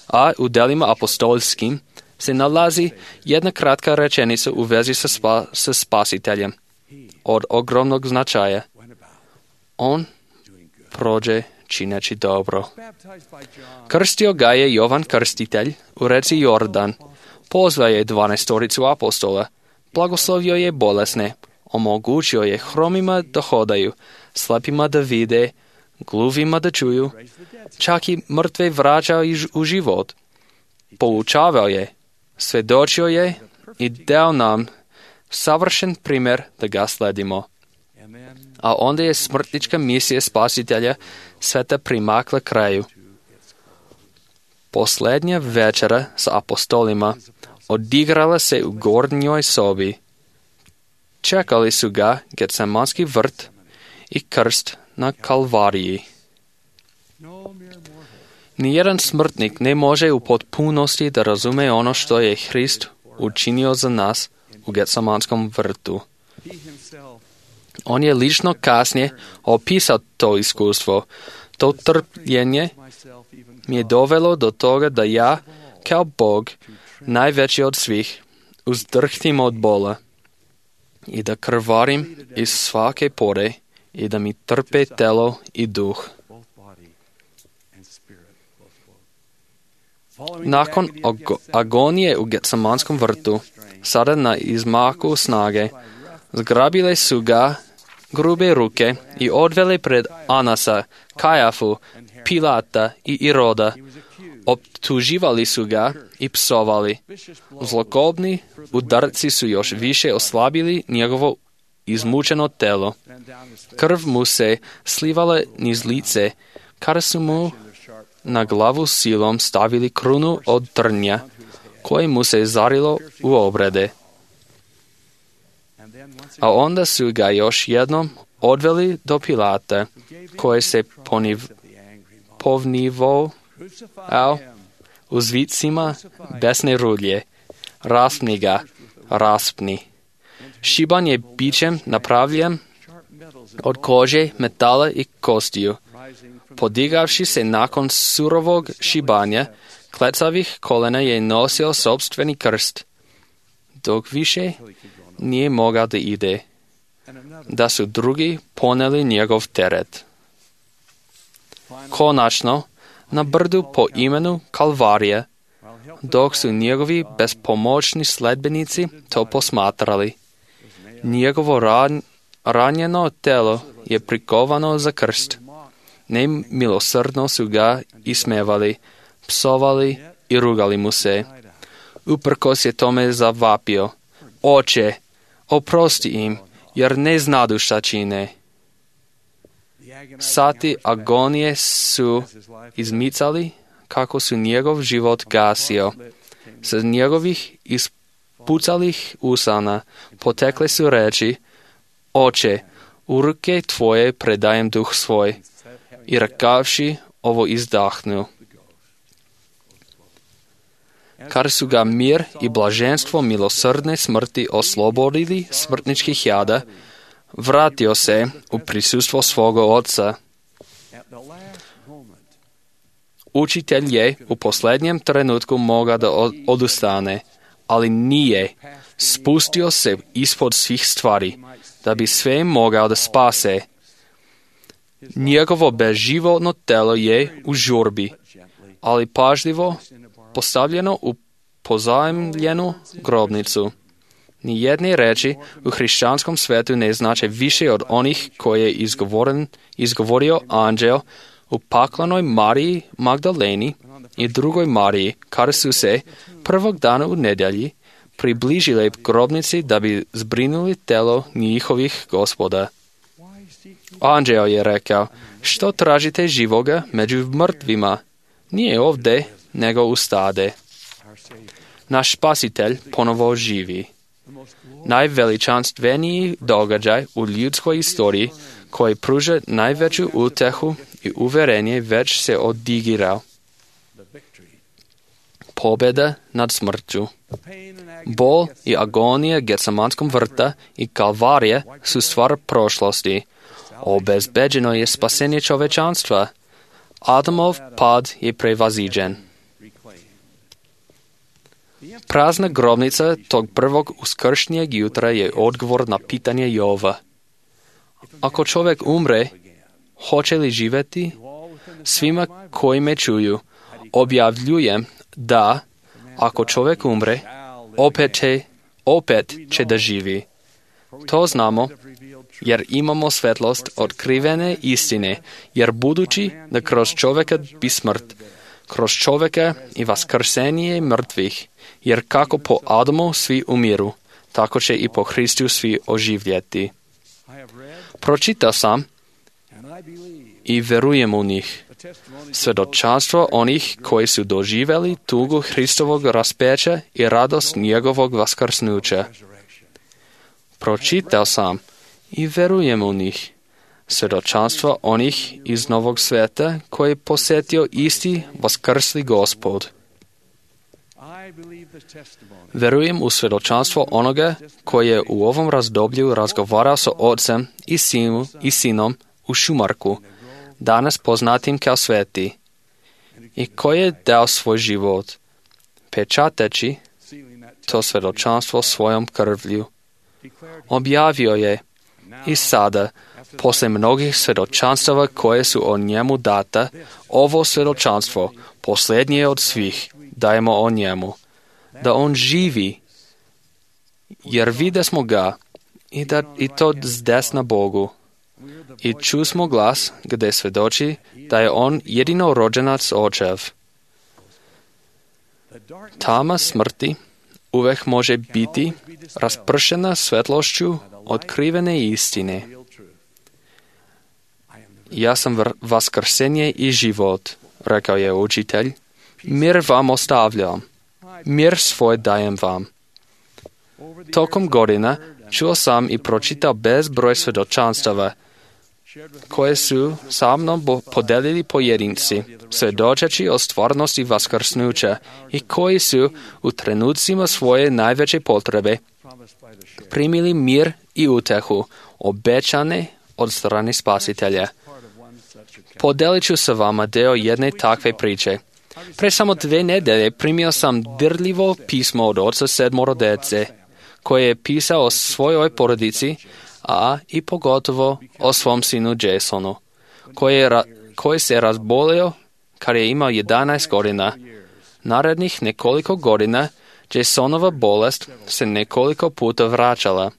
K: A u delima apostolskim se nalazi jedna kratka rečenica u vezi sa, spa, sa spasiteljem od ogromnog značaja. On prođe čineći dobro. Krstio ga je Jovan Krstitelj u reci Jordan. Pozvao je dvanaestoricu apostola. Blagoslovio je bolesne. Omogućio je hromima da hodaju, slepima da vide, gluvima da čuju, čak i mrtve vraćao u život. Poučavao je, svedočio je i dao nam savršen primjer da ga sledimo. A onda je smrtnička misija spasitelja sveta primakla kraju. Posljednja večera sa apostolima odigrala se u gornjoj sobi. Čekali su ga Getsemanski vrt i krst na Kalvariji. Nijedan smrtnik ne može u potpunosti da razume ono što je Hrist učinio za nas u Getsemanskom vrtu. On je lično kasnije opisao to iskustvo. To trpljenje mi je dovelo do toga da ja, kao Bog, najveći od svih, uzdrhtim od bola i da krvarim iz svake pore i da mi trpe telo i duh. Nakon agonije u Getsemanskom vrtu, sada na izmaku snage, zgrabile su ga grube ruke i odvele pred Anasa, Kajafu, Pilata i Iroda. Optuživali su ga i psovali. Zlokobni udarci su još više oslabili njegovo izmučeno telo. Krv mu se slivala niz lice, kada su mu na glavu silom stavili krunu od trnja, koje mu se zarilo u obrede. A onda su ga još jednom odveli do Pilata, koji se poniv, povnivao uz vicima besne rulje. Raspni ga, raspni. Šiban je bićem napravljen od kože, metala i kostiju. Podigavši se nakon surovog šibanja, klecavih kolena je nosio sopstveni krst, dok više nije mogao da ide, da su drugi poneli njegov teret. Konačno, na brdu po imenu Kalvarija, dok su njegovi bespomoćni sledbenici to posmatrali, njegovo ran, ranjeno telo je prikovano za krst. Nemilosrdno su ga ismevali, psovali i rugali mu se. Uprkos je tome zavapio: Oče, oprosti im, jer ne znadu šta čine. Sati agonije su izmicali kako su njegov život gasio. Sa njegovih ispucalih usana potekle su reči: Oče, u ruke tvoje predajem duh svoj. I rekavši ovo izdahnu. Kad su ga mir i blaženstvo milosrdne smrti oslobodili smrtničkih jada, vratio se u prisustvo svoga oca. Učitelj je u posljednjem trenutku mogao da odustane, ali nije. Spustio se ispod svih stvari, da bi sve mogao da spase. Njegovo bezživotno telo je u žurbi, ali pažljivo postavljeno u pozajmljenu grobnicu. Nijedne reči u hrišćanskom svetu ne znače više od onih koje je izgovorio anđeo u paklanoj Mariji Magdaleni i drugoj Mariji, kada su se prvog dana u nedjelji približile grobnici da bi zbrinuli telo njihovih gospoda. Anđeo je rekao: Što tražite živoga među mrtvima? Nije ovdje, nego u stade. Naš spasitelj ponovo živi. Najveličanstveniji događaj u ljudskoj istoriji koji pruža najveću utehu i uverenje već se odigrao. Pobjeda nad smrću. Bol i agonija Getsemanskog vrta i Kalvarije su stvar prošlosti. Obezbeđeno je spasenje čovečanstva. Adamov pad je prevaziđen. Prazna grobnica tog prvog uskršnjeg jutra je odgovor na pitanje Jova. Ako čovjek umre, hoće li živjeti? Svima koji me čuju, objavljujem da, ako čovjek umre, opet će, opet će da živi. To znamo, jer imamo svetlost otkrivene istine, jer budući da kroz čovjeka bi smrt, kroz čovjeka i vaskrsenje mrtvih, jer kako po Adamu svi umiru, tako će i po Hristu svi oživjeti. Pročitao sam i verujem u njih. Svjedočanstvo onih koji su doživjeli tugu Hristovog raspeća i radost njegovog vaskrsnuća. Pročitao sam i verujem u njih. Svjedočanstvo onih iz Novog sveta koji je posjetio isti vaskrsli Gospod. Verujem u svjedočanstvo onoga koji je u ovom razdoblju razgovarao sa ocem i, sinu, i sinom u Šumarku, danas poznatim kao sveti, i koji je dao svoj život, pečateći to svjedočanstvo svojom krvlju. Objavio je i sada, posle mnogih svjedočanstava koje su o njemu data, ovo svjedočanstvo, posljednje od svih, dajemo o njemu, da on živi, jer vide smo ga i, da, i to zdesna Bogu. I ču smo glas gdje svjedoči da je on jedino rođenac očev. Tama smrti uvijek može biti raspršena svetlošću otkrivene istine. Ja sam vaskrsenje i život, rekao je učitelj. Mir vam ostavljam, mir svoj dajem vam. Tokom godina čuo sam i pročitao bezbroj svjedočanstava, koje su sa mnom podelili pojedinci, svjedočeći o stvarnosti vaskrsnuća i koji su u trenucima svoje najveće potrebe primili mir i utehu, obećane od strane Spasitelja. Podelit ću sa vama deo jedne takve priče. Pre samo dve nedelje primio sam dirljivo pismo od oca sedmoro dece, koje je pisao o svojoj porodici, a i pogotovo o svom sinu Jasonu, koji, je ra- koji se razbolio kad je imao jedanaest godina. Narednih nekoliko godina Jasonova bolest se nekoliko puta vraćala.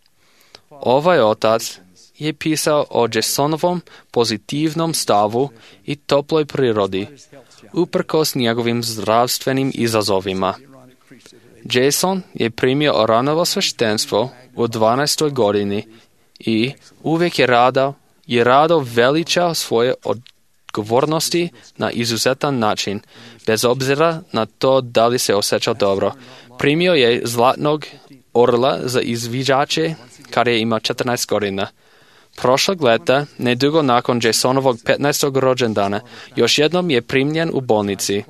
K: Ovaj otac je pisao o Jasonovom pozitivnom stavu i toploj prirodi, uprkos njegovim zdravstvenim izazovima. Jason je primio Aranovo sveštenstvo u dvanaestoj godini i uvijek je rado, je rado veličao svoje odgovornosti na izuzetan način, bez obzira na to da li se osjećao dobro. Primio je zlatnog orla za izviđače kad je imao četrnaest godina. Prošlog leta, nedugo nakon Jasonovog petnaestog rođendana, još jednom je primljen u bolnici.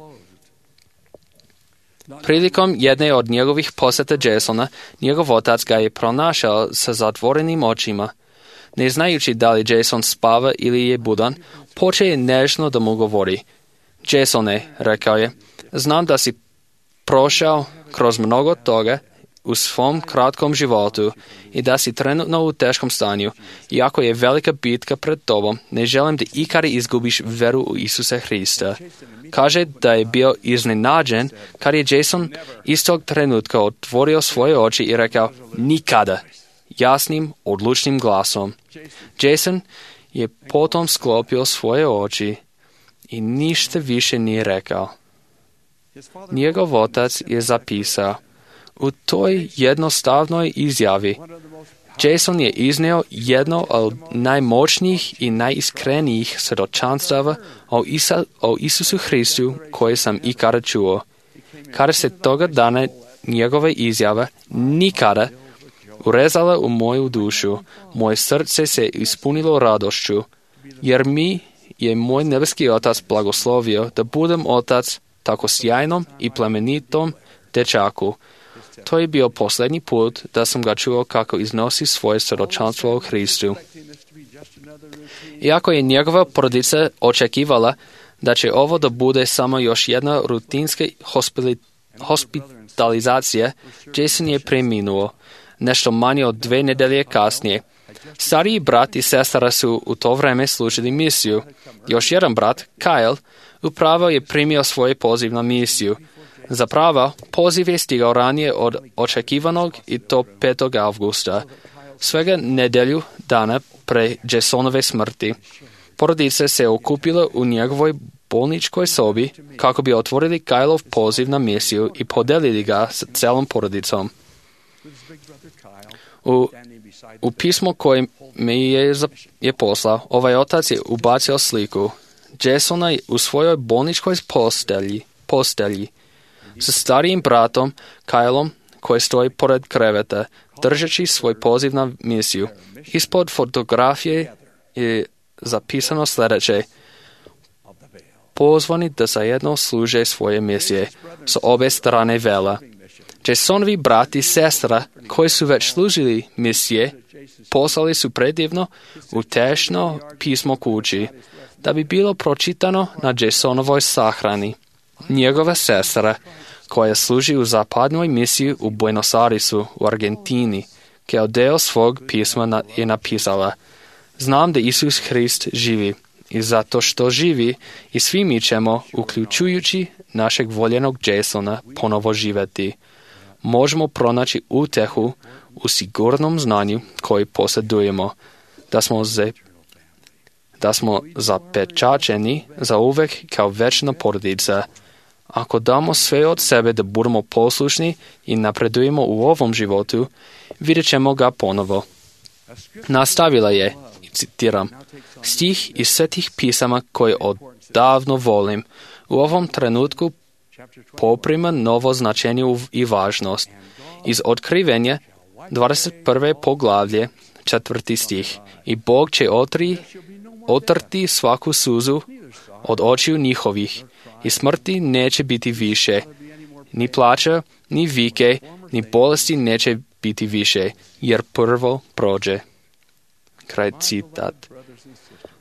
K: Prilikom jedne od njegovih posjeta Jasona, njegov otac ga je pronašao sa zatvorenim očima. Ne znajući da li Jason spava ili je budan, počeo je nežno da mu govori. Jasone, rekao je, znam da si prošao kroz mnogo toga u svom kratkom životu i da si trenutno u teškom stanju. Iako je velika bitka pred tobom, ne želim da ikada izgubiš veru u Isusa Hrista. Kaže da je bio iznenađen kad je Jason istog trenutka otvorio svoje oči i rekao nikada, jasnim, odlučnim glasom. Jason je potom sklopio svoje oči i ništa više nije rekao. Njegov otac je zapisao: u toj jednostavnoj izjavi Jason je izneo jedno od najmoćnijih i najiskrenijih svjedočanstava o, Isa, o Isusu Hristu koje sam ikada čuo. Kada se toga dana njegova izjava nikada urezala u moju dušu, moje srce se ispunilo radošću, jer mi je moj nebeski otac blagoslovio da budem otac tako sjajnom i plemenitom dečaku. To je bio posljednji put da sam ga čuo kako iznosi svoje svjedočanstvo o Hristu. Iako je njegova porodica očekivala da će ovo da bude samo još jedna rutinska hospitalizacija hospitalizacije, Jason je preminuo. Nešto manje od dve nedelje kasnije. Stariji brat i sestra su u to vreme služili misiju. Još jedan brat, Kyle, upravo je primio svoj poziv na misiju. Zapravo, poziv je stigao ranije od očekivanog i to petog avgusta. Svega nedelju dana pre Jasonove smrti. Porodice se okupile u njegovoj bolničkoj sobi kako bi otvorili Kylov poziv na misiju i podelili ga s celom porodicom. U, u pismo koje mi je, je poslao, ovaj otac je ubacio sliku Jasona u svojoj bolničkoj postelji, postelji sa starijim bratom Kylom koji stoji pored kreveta, držeći svoj poziv na misiju. Ispod fotografije je zapisano sljedeće: pozvani da zajedno služe svoje misije s obe strane vela. Jasonovi brat i sestra koji su već služili misije poslali su predivno utešno pismo kući da bi bilo pročitano na Jasonovoj sahrani. Njegova sestra koja služi u zapadnoj misiji u Buenos Airesu u Argentini, kao deo svog pisma je napisala: znam da Isus Hrist živi i zato što živi i svi mi ćemo, uključujući našeg voljenog Jasona, ponovo živjeti. Možemo pronaći utehu u sigurnom znanju koji posjedujemo, da smo, ze, da smo zapečačeni za uvek kao večna porodica. Ako damo sve od sebe da budemo poslušni i napredujemo u ovom životu, vidjet ćemo ga ponovo. Nastavila je, i citiram, stih iz svetih pisama koje odavno volim, u ovom trenutku poprima novo značenje i važnost. Iz otkrivenja dvadeset prve poglavlje, četvrti stih. I Bog će otri, otrti svaku suzu od očiju njihovih i smrti neće biti više. Ni plaća, ni vike, ni bolesti neće biti više, jer prvo prođe. Kraj citat.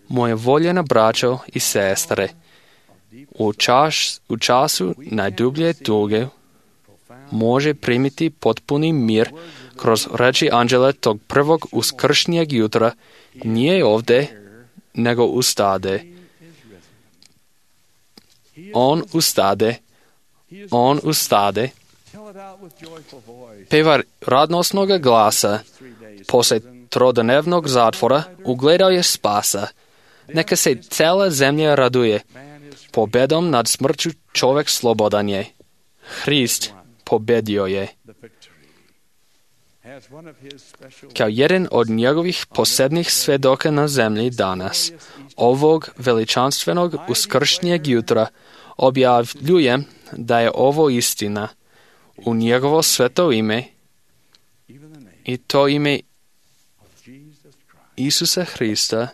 K: Moje voljena braćo i sestre, u, čas, u času najdublje tuge može primiti potpuni mir kroz reči anđela tog prvog uskršnjeg jutra, nije ovdje, nego ustade. On ustade, on ustade, peva radnosnoga glasa, posle trodnevnog zatvora ugledao je spasa. Neka se cela zemlja raduje. Pobedom nad smrću čovjek slobodan je. Hrist pobedio je. Kao jedan od njegovih posebnih svedoka na zemlji danas, ovog veličanstvenog uskršnjeg jutra, objavljujem da je ovo istina u njegovo sveto ime i to ime Isusa Hrista,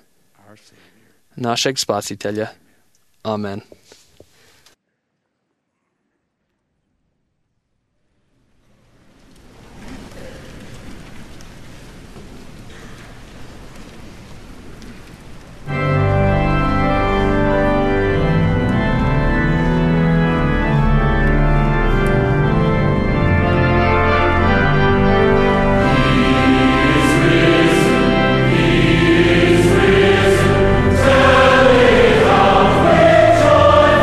K: našeg spasitelja. Amen.
L: Joy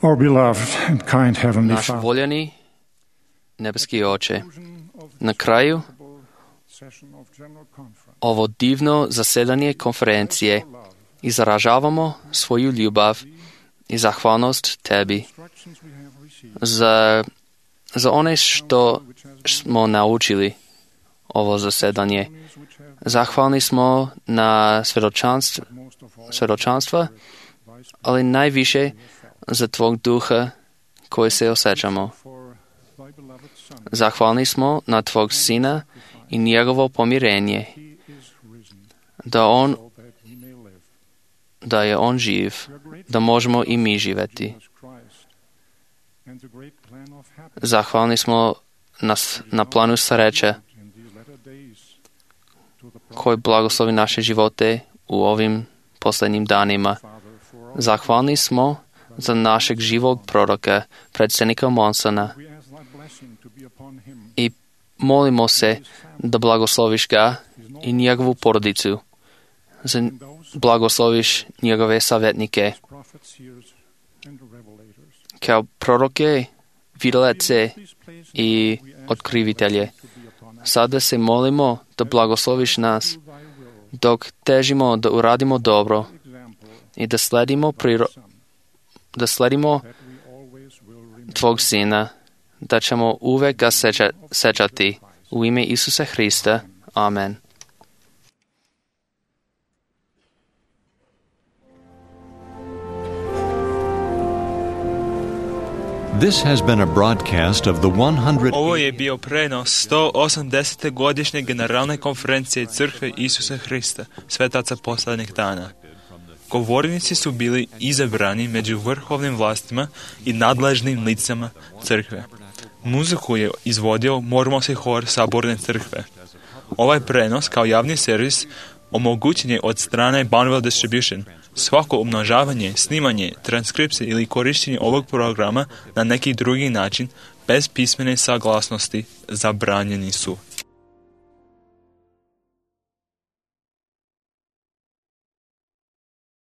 L: Our beloved and kind Heavenly
K: Naš
L: Father,
K: voljeni nebeski Oče, na kraju ovo divno zasedanje konferencije izražavamo svoju ljubav i zahvalnost Tebi za, za one što smo naučili ovo zasedanje. Zahvalni smo na svjedočanstv, svjedočanstva, ali najviše za Tvog duha koji se osjećamo. Zahvalni smo na Tvog Sina i njegovo pomirenje, da on da je on živ, da možemo i mi živjeti. Zahvalni smo na, na planu sreće koji blagoslovi naše živote u ovim posljednjim danima. Zahvalni smo za našeg živog proroka, predsjednika Monsona, i molimo se da blagosloviš ga i njegovu porodicu, za blagosloviš njegove savjetnike, kao proroke, vidlece i otkrivitelje. Sada se molimo da blagosloviš nas, dok težimo da uradimo dobro i da sledimo, priro, da sledimo Tvog Sina, da ćemo uvek ga seća, sećati. U ime Isusa Hrista. Amen.
H: This has been a broadcast of the one hundred...
B: Ovo je bio prenos sto osamdesete godišnje generalne konferencije Crkve Isusa Hrista, svetaca posljednjih dana. Govornici su bili izabrani među vrhovnim vlastima i nadležnim licama Crkve. Muziku je izvodio Mormonski hor Saborne Crkve. Ovaj prenos kao javni servis omogućen je od strane Bonneville Distribution. Svako umnožavanje, snimanje, transkripcije ili korištenje ovog programa na neki drugi način bez pismene saglasnosti zabranjeni su.